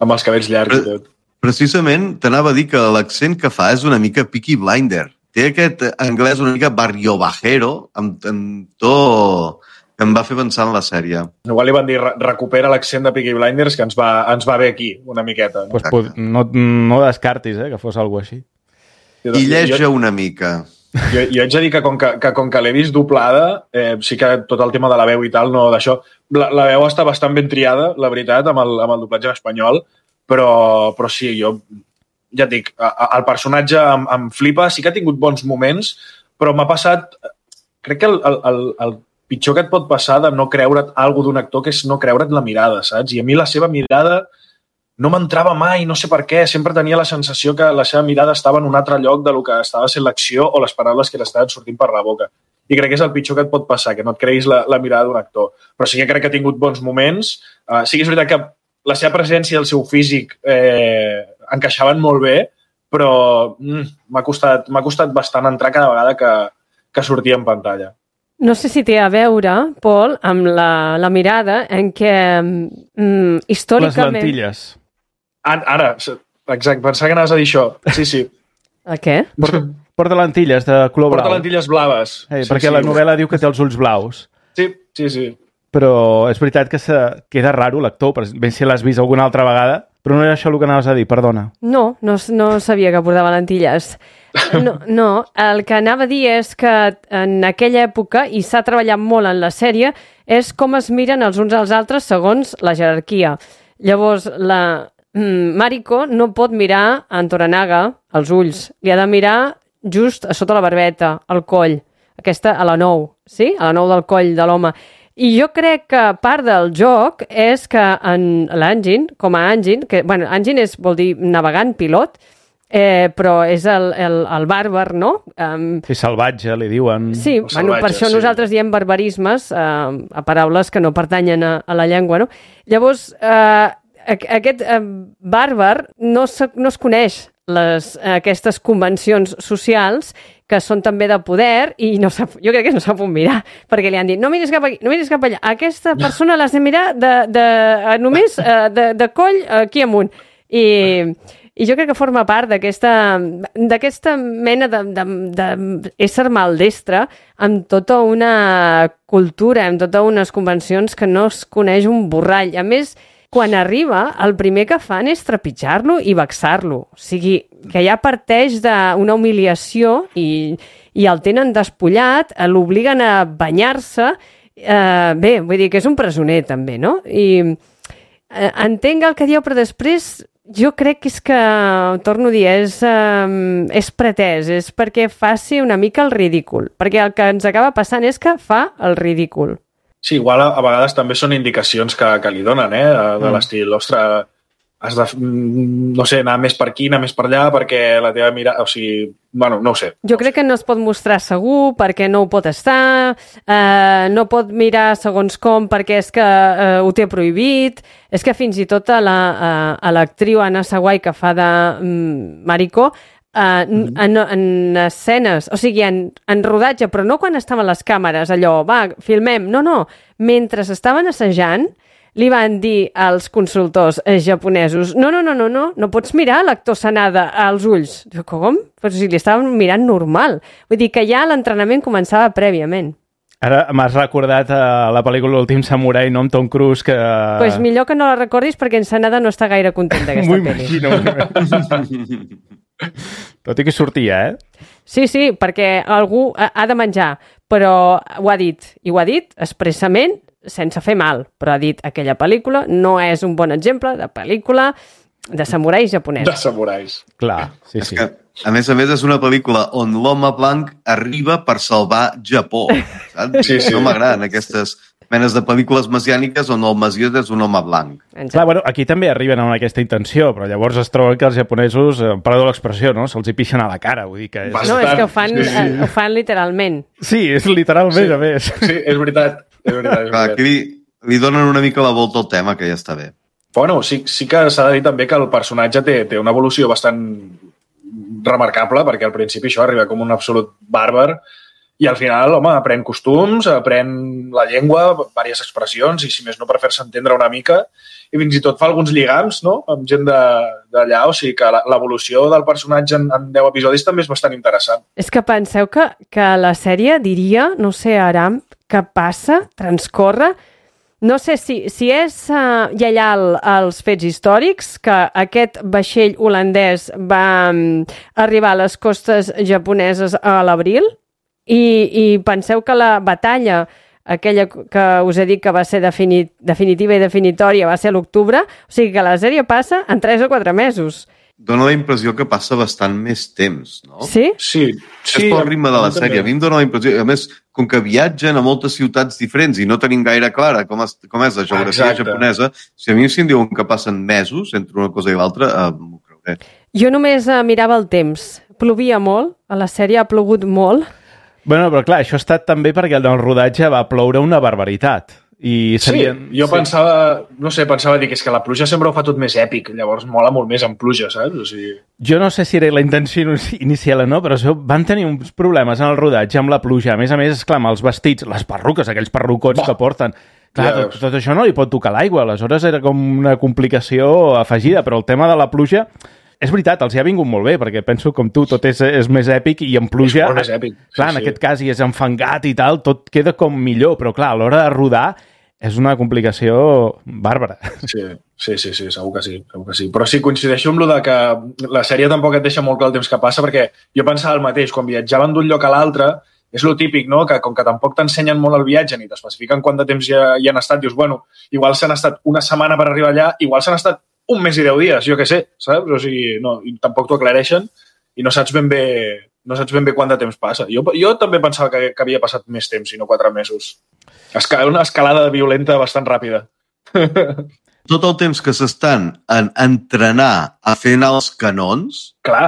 Amb els cabells llargs i tot. Precisament t'anava a dir que l'accent que fa és una mica Peaky Blinder. Té aquest anglès una mica barrio bajero, amb, amb to que em va fer pensar en la sèrie. Igual li van dir, recupera l'accent de Peaky Blinders, que ens va, ens va bé aquí, una miqueta. No? Pues, no, no descartis, eh, que fos alguna així. I lleja una mica. Jo, jo haig de dir que com que, que, com que l'he vist doblada, eh, sí que tot el tema de la veu i tal, no d'això, la, la veu està bastant ben triada, la veritat, amb el, amb el doblatge en espanyol, però, però sí, jo ja et dic, el personatge em, em flipa, sí que ha tingut bons moments, però m'ha passat... Crec que el, el, el pitjor que et pot passar de no creure't alguna d'un actor que és no creure't la mirada, saps? I a mi la seva mirada... no m'entrava mai, no sé per què, sempre tenia la sensació que la seva mirada estava en un altre lloc de lo que estava sent l'acció o les paraules que l'estaven sortint per la boca. I crec que és el pitjor que et pot passar, que no et creguis la, la mirada d'un actor. Però sí que crec que ha tingut bons moments. Uh, sí que és veritat que la seva presència i el seu físic eh, encaixaven molt bé, però mm, m'ha costat, m'ha costat bastant entrar cada vegada que, que sortia en pantalla. No sé si té a veure, Pol, amb la, la mirada en què mm, històricament... Les lentilles. Ara, exacte, pensava que anaves a dir això. Sí, sí. A què? Porta, porta lentilles de color blau. Porta lentilles blaves. Ei, sí, perquè sí, la novel·la diu que té els ulls blaus. Sí, sí, sí. Però és veritat que se queda raro l'actor, ben si l'has vist alguna altra vegada, però no era això el que anaves a dir, perdona. No, no, no sabia que portava lentilles. No, no, el que anava a dir és que en aquella època, i s'ha treballat molt en la sèrie, és com es miren els uns als altres segons la jerarquia. Llavors, la Mariko no pot mirar a en Toranaga als ulls. Li ha de mirar just a sota la barbeta, al coll. Aquesta a la nou, sí? A la nou del coll de l'home. I jo crec que part del joc és que en l'Anjin, com a Anjin, que, bueno, Anjin és, vol dir navegant, pilot, eh, però és el, el, el bàrbar, no? Um, sí, salvatge, li diuen. Sí, bueno, salvatge, per això sí. Nosaltres diem barbarismes eh, a paraules que no pertanyen a, a la llengua, no? Llavors, eh, aquest eh, bàrbar no, se, no es coneix les, aquestes convencions socials que són també de poder i no sap, jo crec que no sap on mirar, perquè li han dit, no miris cap aquí, no miris cap allà, aquesta persona l'has de mirar de, de, només de, de coll aquí amunt. I, i jo crec que forma part d'aquesta d'aquesta mena d'ésser maldestre amb tota una cultura, amb totes unes convencions que no es coneix un borrall. A més, quan arriba, el primer que fan és trepitjar-lo i vexar-lo. O sigui, que ja parteix d'una humiliació i, i el tenen despullat, l'obliguen a banyar-se. Eh, bé, vull dir que és un presoner, també, no? I eh, entenc el que diu, però després jo crec que és que, torno a dir, és, eh, és pretès, és perquè faci una mica el ridícul. Perquè el que ens acaba passant és que fa el ridícul. Sí, igual a, a vegades també són indicacions que, que li donen, eh? De mm. l'estil, ostres, has de, no sé, anar més per aquí, anar més per allà, perquè la teva mirada... O sigui, bueno, no ho sé. Jo crec que no es pot mostrar segur perquè no ho pot estar, eh, no pot mirar segons com perquè és que eh, ho té prohibit. És que fins i tot a l'actriu Anna Sawai, que fa de mm, Mariko, Uh, mm. en, en escenes, o sigui, en, en rodatge, però no quan estaven les càmeres, allò, va, filmem, no, no, mentre estaven assajant, li van dir als consultors eh, japonesos, no, no, no, no, no, no pots mirar l'actor Sanada als ulls. Diu, com? Però o sigui, li estaven mirant normal. Vull dir que ja l'entrenament començava prèviament. Ara m'has recordat uh, la pel·lícula L'últim samurai, no, amb Tom Cruise, que... Doncs pues millor que no la recordis perquè en Sanada no està gaire content d'aquesta pel·li. M'ho imagino. Tot i que sortia, eh? Sí, sí, perquè algú ha de menjar, però ho ha dit, i ho ha dit expressament, sense fer mal, però ha dit aquella pel·lícula no és un bon exemple de pel·lícula de samurais japonès. De samurais. Clar, sí, sí. Que, a més a més, és una pel·lícula on l'home blanc arriba per salvar Japó. Saps? Sí, sí. No m'agraden aquestes menes de pel·lícules messiàniques on el messies és un home blanc. Clar, bueno, aquí també arriben amb aquesta intenció, però llavors es troben que els japonesos, perdó l'expressió, no? Se'ls hi pixen a la cara, vull dir que... És... No, és que ho fan, sí, sí. ho fan literalment. Sí, és literalment, sí. a més. Sí, és veritat. És veritat, és Clar, veritat. aquí li, li donen una mica la volta al tema, que ja està bé. Bueno, sí, sí que s'ha de dir també que el personatge té, té una evolució bastant remarcable, perquè al principi això arriba com un absolut bàrbar, i al final, home, aprèn costums, aprèn la llengua, diverses expressions, i si més no per fer-se entendre una mica, i fins i tot fa alguns lligams, no?, amb gent d'allà, o sigui que l'evolució del personatge en, en deu episodis també és bastant interessant. És que penseu que, que la sèrie diria, no sé, Aram, que passa, transcorre, no sé si, si és uh, lleial als fets històrics, que aquest vaixell holandès va um, arribar a les costes japoneses a l'abril, i, i penseu que la batalla, aquella que us he dit que va ser definit, definitiva i definitòria, va ser a l'octubre, o sigui que la sèrie passa en tres o quatre mesos. Dóna la impressió que passa bastant més temps, no? Sí? Sí. sí és pel ritme de la sèrie. A mi em dóna la impressió... A més, com que viatgen a moltes ciutats diferents i no tenim gaire clara com és, com és la geografia Exacte. japonesa, si a mi si em diuen que passen mesos entre una cosa i l'altra, eh, m'ho creuré. Jo només eh, mirava el temps. Plovia molt, a la sèrie ha plogut molt. Bueno, però clar, això ha estat també perquè el rodatge va ploure una barbaritat. I serien... Sí, jo sí. pensava, no sé, pensava dir que és que la pluja sempre ho fa tot més èpic, llavors mola molt més amb pluja, saps? O sigui... Jo no sé si era la intenció inicial o no, però això, van tenir uns problemes en el rodatge amb la pluja. A més a més, esclar, amb els vestits, les perruques, aquells perrucots bah. que porten. Clar, ja, tot, tot això no li pot tocar l'aigua, aleshores era com una complicació afegida, però el tema de la pluja... És veritat, els hi ha vingut molt bé, perquè penso com tu, tot és, és més èpic i en pluja... És molt més èpic. Clar, sí, en sí. aquest cas, i és enfangat i tal, tot queda com millor, però clar, a l'hora de rodar és una complicació bàrbara. Sí, sí, sí, sí, segur que sí, segur que sí. Però sí, coincideixo amb el que la sèrie tampoc et deixa molt clar el temps que passa, perquè jo pensava el mateix, quan viatjaven d'un lloc a l'altre, és lo típic, no?, que com que tampoc t'ensenyen molt el viatge ni t'especifiquen quant de temps ja hi han estat, dius, bueno, igual s'han estat una setmana per arribar allà, igual s'han estat un mes i deu dies, jo què sé, saps? O sigui, no, i tampoc t'ho aclareixen i no saps ben bé, no saps ben bé quant de temps passa. Jo, jo també pensava que, que havia passat més temps, i no quatre mesos. Esca, una escalada violenta bastant ràpida. Tot el temps que s'estan en entrenar a fer anar els canons... Clar.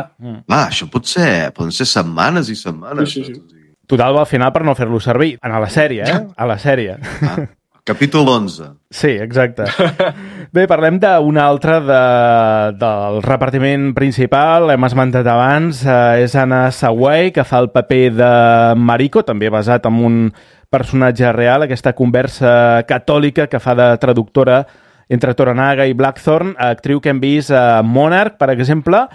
Va, això pot ser, poden ser setmanes i setmanes. Sí, sí, sí. Total, va al final per no fer-lo servir. En la sèrie, eh? A la sèrie. Ah. Capítol onze. Sí, exacte. Bé, parlem d'una altra de, del repartiment principal, l'hem esmentat abans, eh, és Anna Sawai, que fa el paper de Mariko, també basat en un personatge real, aquesta conversa catòlica que fa de traductora entre Toranaga i Blackthorn, actriu que hem vist a Monarch, per exemple,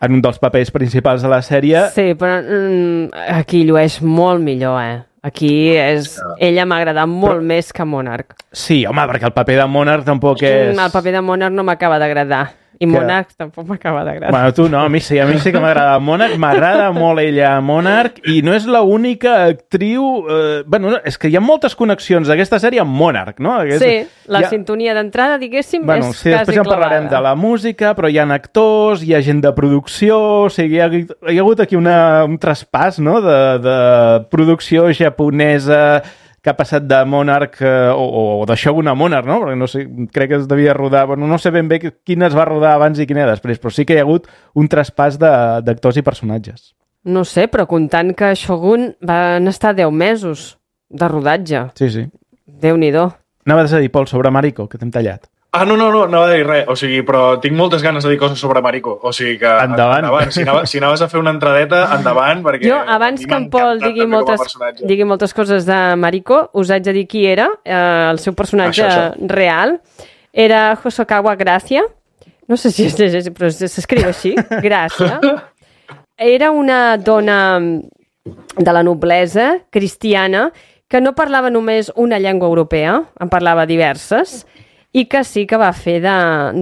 en un dels papers principals de la sèrie. Sí, però mm, aquí llueix molt millor, eh? Aquí és... Ella m'ha agradat molt però... més que Monarch. Sí, home, perquè el paper de Monarch tampoc és... El paper de Monarch no m'acaba d'agradar. I que... Monarch tampoc m'acaba d'agradar. Bueno, tu no, a mi sí, a mi sí que m'agrada Monarch, m'agrada molt ella a Monarch, i no és l'única actriu... Eh, bueno, és que hi ha moltes connexions d'aquesta sèrie amb Monarch, no? Aquest, sí, la ha... sintonia d'entrada, diguéssim, bueno, és sí, quasi després en parlarem de la música, però hi ha actors, hi ha gent de producció, o sigui, hi ha, hi ha hagut aquí una, un traspàs, no?, de, de producció japonesa que ha passat de Monarch eh, o, o de Shogun a Monarch, no? Perquè no sé, crec que es devia rodar... Bueno, no sé ben bé quin es va rodar abans i quin era després, però sí que hi ha hagut un traspàs d'actors i personatges. No sé, però comptant que Shogun van estar deu mesos de rodatge. Sí, sí. Déu-n'hi-do. Anaves a dir, Pol, sobre Mariko, que t'hem tallat. Ah, no, no, no, no va dir res. O sigui, però tinc moltes ganes de dir coses sobre Mariko. O sigui que... Endavant. endavant. Si, anaves, si anaves a fer una entradeta, endavant, perquè... Jo, abans que en Pol digui moltes, digui moltes coses de Mariko, us haig de dir qui era, eh, el seu personatge això, això. real. Era Hosokawa Gracia. No sé si es llegeix, però s'escriu així. Gràcia. Era una dona de la noblesa cristiana que no parlava només una llengua europea, en parlava diverses, i que sí que va fer de,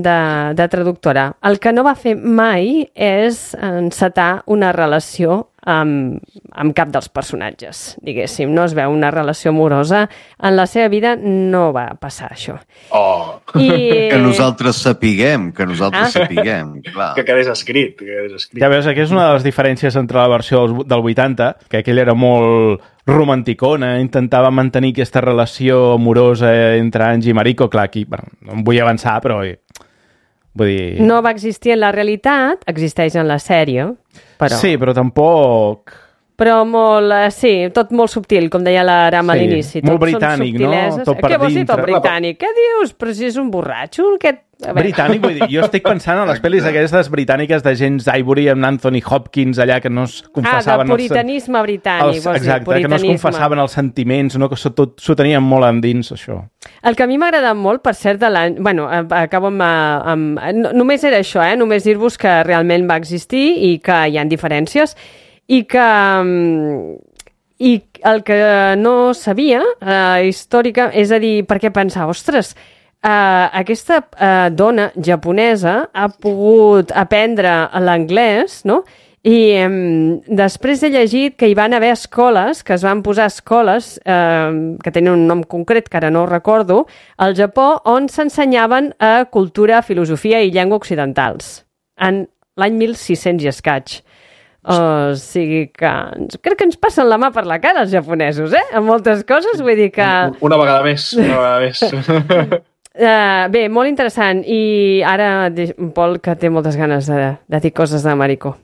de, de traductora. El que no va fer mai és encetar una relació amb, amb cap dels personatges, diguéssim. No es veu una relació amorosa. En la seva vida no va passar això. Oh! I... Que nosaltres sapiguem, que nosaltres ah. sapiguem, clar. Que quedés escrit, que quedés escrit. Ja veus, aquí és una de les diferències entre la versió del vuitanta, que aquell era molt romanticona, intentava mantenir aquesta relació amorosa entre Angie i Mariko. Clar, aquí, bueno, no em vull avançar, però... Vull dir... No va existir en la realitat, existeix en la sèrie, però... Sí, però tampoc... Però molt, sí, tot molt subtil, com deia la Rama sí, a l'inici. Molt britànic, no? Tot per Què vols dir, dintre. tot britànic? Què dius? Però si és un borratxo, aquest... Britànic, vull dir, jo estic pensant en les pel·lis aquestes britàniques de James Ivory amb Anthony Hopkins allà que no es confessaven... Ah, de puritanisme els, britànic, els, vols dir, exacte, que no es confessaven els sentiments, no? Que s'ho tenien molt endins, això. El que a mi m'ha agradat molt, per cert, de l'any... Bueno, acabo amb, amb... Només era això, eh? Només dir-vos que realment va existir i que hi ha diferències i que... I el que no sabia, eh, històrica, és a dir, perquè pensar, ostres, Uh, aquesta uh, dona japonesa ha pogut aprendre l'anglès, no? I um, després he llegit que hi van haver escoles, que es van posar escoles, uh, que tenen un nom concret, que ara no recordo, al Japó, on s'ensenyaven a cultura, filosofia i llengua occidentals, en l'any mil sis-cents i escaig. O sigui que crec que ens passen la mà per la cara els japonesos, eh? En moltes coses, vull dir que... Una vegada més, una vegada més. Uh, bé, molt interessant. I ara, Pol, que té moltes ganes de, de dir coses de Mariko.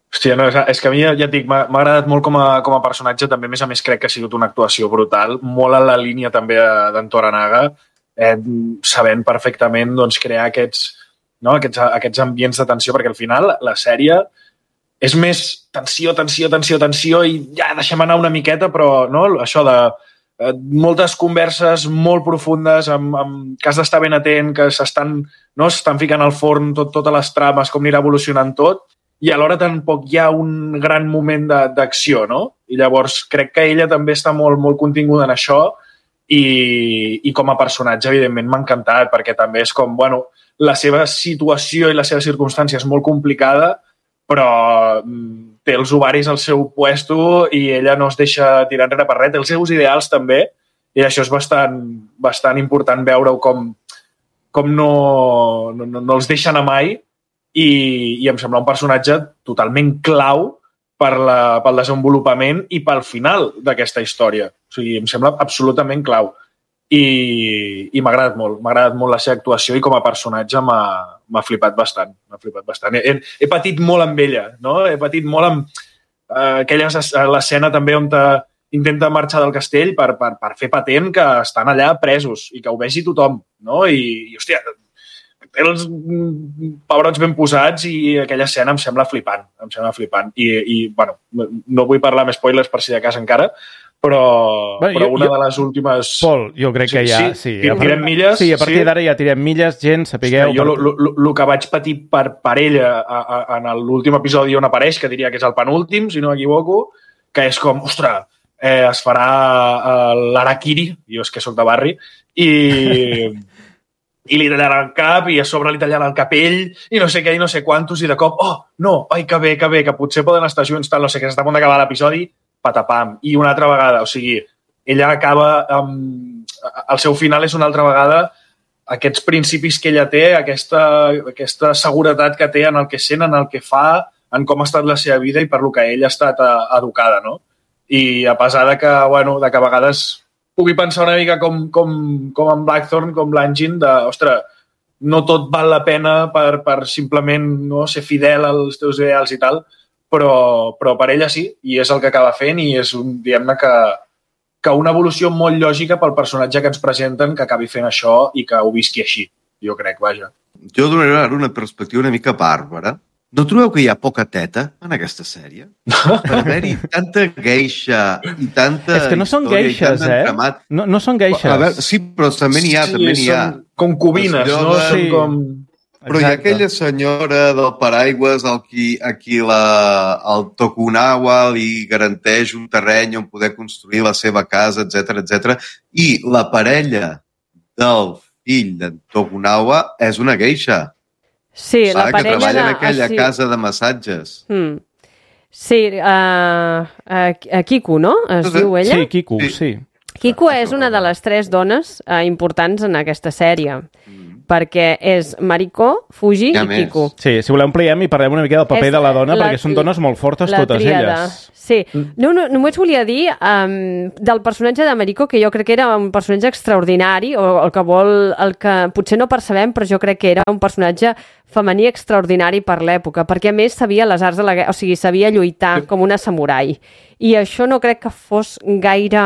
Hòstia, no, és que a mi, ja et dic, m'ha agradat molt com a, com a personatge, també, a més a més, crec que ha sigut una actuació brutal, molt en la línia també d'en Toranaga, eh, sabent perfectament doncs, crear aquests, no, aquests, aquests ambients de tensió, perquè al final la sèrie és més tensió, tensió, tensió, tensió, i ja deixem anar una miqueta, però no, això de moltes converses molt profundes amb, amb que has d'estar ben atent, que s'estan no, s'estan ficant al forn tot, totes les trames, com anirà evolucionant tot, i alhora tampoc hi ha un gran moment d'acció, no? I llavors crec que ella també està molt, molt continguda en això i, i com a personatge, evidentment, m'ha encantat, perquè també és com, bueno, la seva situació i la seva circumstància és molt complicada, però té els ovaris al seu puesto i ella no es deixa tirar enrere per res. Té els seus ideals també, i això és bastant, bastant important veure-ho com, com no, no, no els deixa anar mai, i, i em sembla un personatge totalment clau per la, pel desenvolupament i pel final d'aquesta història. O sigui, em sembla absolutament clau. I, i m'ha agradat molt, m'ha agradat molt la seva actuació i com a personatge m'ha flipat bastant, m'ha flipat bastant. He, he patit molt amb ella, no? He patit molt amb uh, aquella l'escena també on te, intenta marxar del castell per, per, per fer patent que estan allà presos i que ho vegi tothom, no? I, i hòstia, té els pebrots ben posats i aquella escena em sembla flipant, em sembla flipant. I, i bueno, no vull parlar amb spoilers per si de cas encara, però, bueno, però jo, una jo, de les últimes... Pol, jo crec que ja... Sí, sí, tirem milles. Sí, a partir sí. d'ara ja tirem milles, gent, sapigueu... Hòstia, jo el que vaig patir per, per ella a, a, en l'últim episodi on apareix, que diria que és el penúltim, si no m'equivoco, que és com, ostres, eh, es farà eh, l'Arakiri, jo és que soc de barri, i... i li tallaran el cap i a sobre li tallaran el capell i no sé què i no sé quantos i de cop, oh, no, ai, que bé, que bé, que potser poden estar junts, tal, no sé què, s'està a punt d'acabar l'episodi, patapam. I una altra vegada, o sigui, ella acaba amb... El seu final és una altra vegada aquests principis que ella té, aquesta, aquesta seguretat que té en el que sent, en el que fa, en com ha estat la seva vida i per lo que ella ha estat educada, no? I a pesar de que, bueno, de que a vegades pugui pensar una mica com, com, com en Blackthorn, com l'Angin, de, ostres, no tot val la pena per, per simplement no, ser fidel als teus ideals i tal, però, però per ella sí, i és el que acaba fent i és, un, diguem-ne, que, que una evolució molt lògica pel personatge que ens presenten que acabi fent això i que ho visqui així, jo crec, vaja. Jo donaré una perspectiva una mica bàrbara. No trobeu que hi ha poca teta en aquesta sèrie? Per haver-hi tanta geisha i tanta és que no són geixes, eh? No, no són geixes. A veure, sí, però també n'hi ha, sí, també n'hi ha. Concubines, no? Sí. Són com... Però Exacte. Hi ha aquella senyora del paraigües a qui, a qui la, el Tokugawa li garanteix un terreny on poder construir la seva casa, etcètera, etcètera. I la parella del fill d'en Tokugawa és una geisha. Sí, Saps? la parella... Que treballa en aquella de... ah, sí. casa de massatges. Mm. Sí, uh, uh, Kiku, no? Es no sé. Diu ella? Sí, Kiku, sí. sí. Kiku és una de les tres dones uh, importants en aquesta sèrie. Mm. Perquè és Mariko, Fuji i, i Kiku. Sí, si voleu ampliem i parlem una mica del paper és de la dona, la, perquè són dones molt fortes totes tríada. Elles. Sí, no, no, només volia dir um, del personatge de Mariko, que jo crec que era un personatge extraordinari, o el que vol, el que potser no percebem, però jo crec que era un personatge femení extraordinari per l'època, perquè a més sabia les arts de la guerra, o sigui, sabia lluitar com una samurai. I això no crec que fos gaire...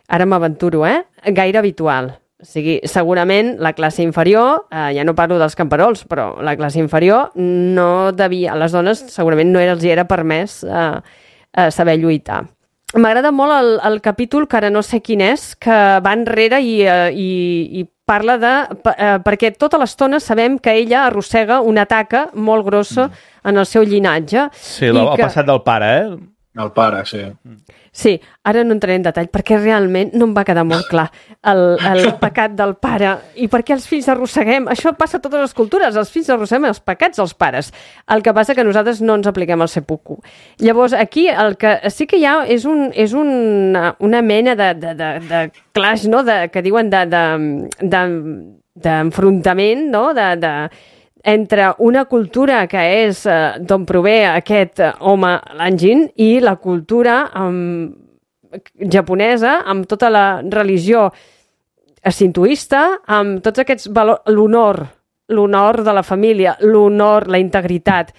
Ara m'aventuro, eh? Gaire habitual. O sigui, segurament la classe inferior, eh, ja no parlo dels camperols, però la classe inferior no devia, a les dones segurament no era, els hi era permès eh, eh, saber lluitar. M'agrada molt el, el capítol, que ara no sé quin és, que va enrere i, eh, i, i parla de... Eh, perquè tota l'estona sabem que ella arrossega una taca molt grossa en el seu llinatge. Sí, el, que... el passat del pare, eh? El pare, sí. Sí, ara no entraré en detall, perquè realment no em va quedar molt clar el, el pecat del pare i per què els fills arrosseguem. Això passa a totes les cultures, els fills arrosseguem els pecats dels pares. El que passa que nosaltres no ens apliquem el seppuku. Llavors, aquí el que sí que hi ha és, un, és una, una mena de, de, de, de clash, no? de, que diuen d'enfrontament, de, de, de, no? de... de entre una cultura que és eh, d'on prové aquest eh, home, l'Anjin, i la cultura um, japonesa, amb tota la religió sintoista, amb tots aquests valors, l'honor, l'honor de la família, l'honor, la integritat.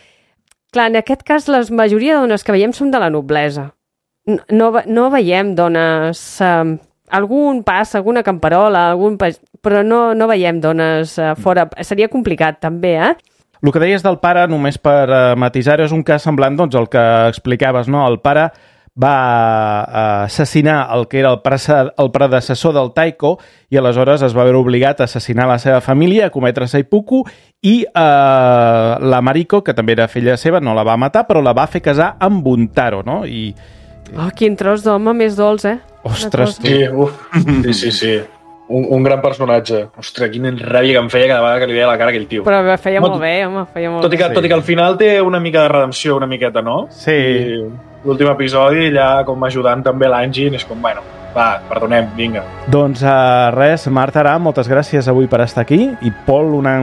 Clar, en aquest cas, la majoria de dones que veiem són de la noblesa. No, no, no veiem dones... Eh, algun pas, alguna camperola, algun pas, però no, no veiem dones uh, fora. Seria complicat, també, eh? El que deies del pare, només per uh, matisar, és un cas semblant doncs, el que explicaves, no? El pare va uh, assassinar el que era el, presa, el predecessor del Taiko i aleshores es va veure obligat a assassinar la seva família, a cometre seppuku, i uh, la Mariko, que també era filla seva, no la va matar, però la va fer casar amb un Taro, no? I... Oh, quin tros d'home més dolç, eh? Ostres, tu. Sí, uf. sí, sí, sí. Un, un gran personatge. Ostres, quina ràbia que em feia cada vegada que li veia la cara a aquell tio. Però feia home, molt bé, home, feia molt tot i que, bé. Tot i que al final té una mica de redempció, una miqueta, no? Sí. I l'últim episodi, allà com ajudant també l'Anjin, és com, bueno, va, perdonem, vinga. Doncs uh, res, Marta Aram, moltes gràcies avui per estar aquí, i Pol, una...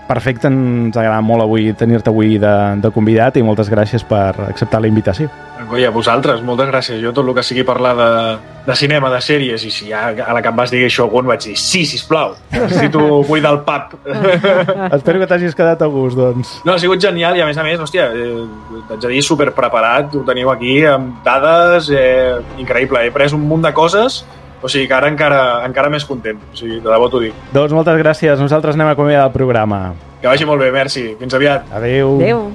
perfecte, ens agrada molt avui tenir-te avui de, de convidat, i moltes gràcies per acceptar la invitació. I a vosaltres, moltes gràcies. Jo tot el que sigui parlar de, de cinema, de sèries, i si ja a la que em vas dir Shogun vaig dir, sí, sisplau, necessito buidar el pub. Espero que t'hagis quedat a gust, doncs. No, ha sigut genial i a més a més, hòstia, eh, t'haig de dir superpreparat, ho teniu aquí amb dades, eh, increïble, he pres un munt de coses, o sigui que ara encara, encara més content, o sigui, de debò t'ho dic. Doncs moltes gràcies, nosaltres anem a acomiadar el programa. Que vagi molt bé, merci, fins aviat. Adéu. Adéu.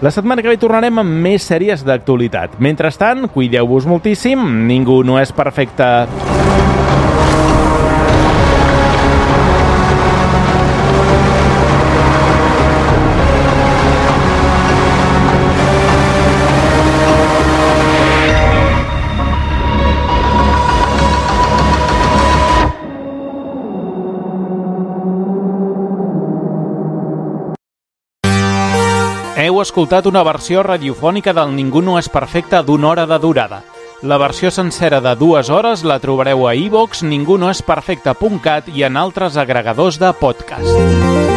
La setmana que ve tornarem amb més sèries d'actualitat. Mentrestant, cuideu-vos moltíssim, ningú no és perfecte. Heu escoltat una versió radiofònica del Ningú no és perfecte d'una hora de durada. La versió sencera de dues hores la trobareu a iVox, ningunoesperfecte punt cat i en altres agregadors de podcast.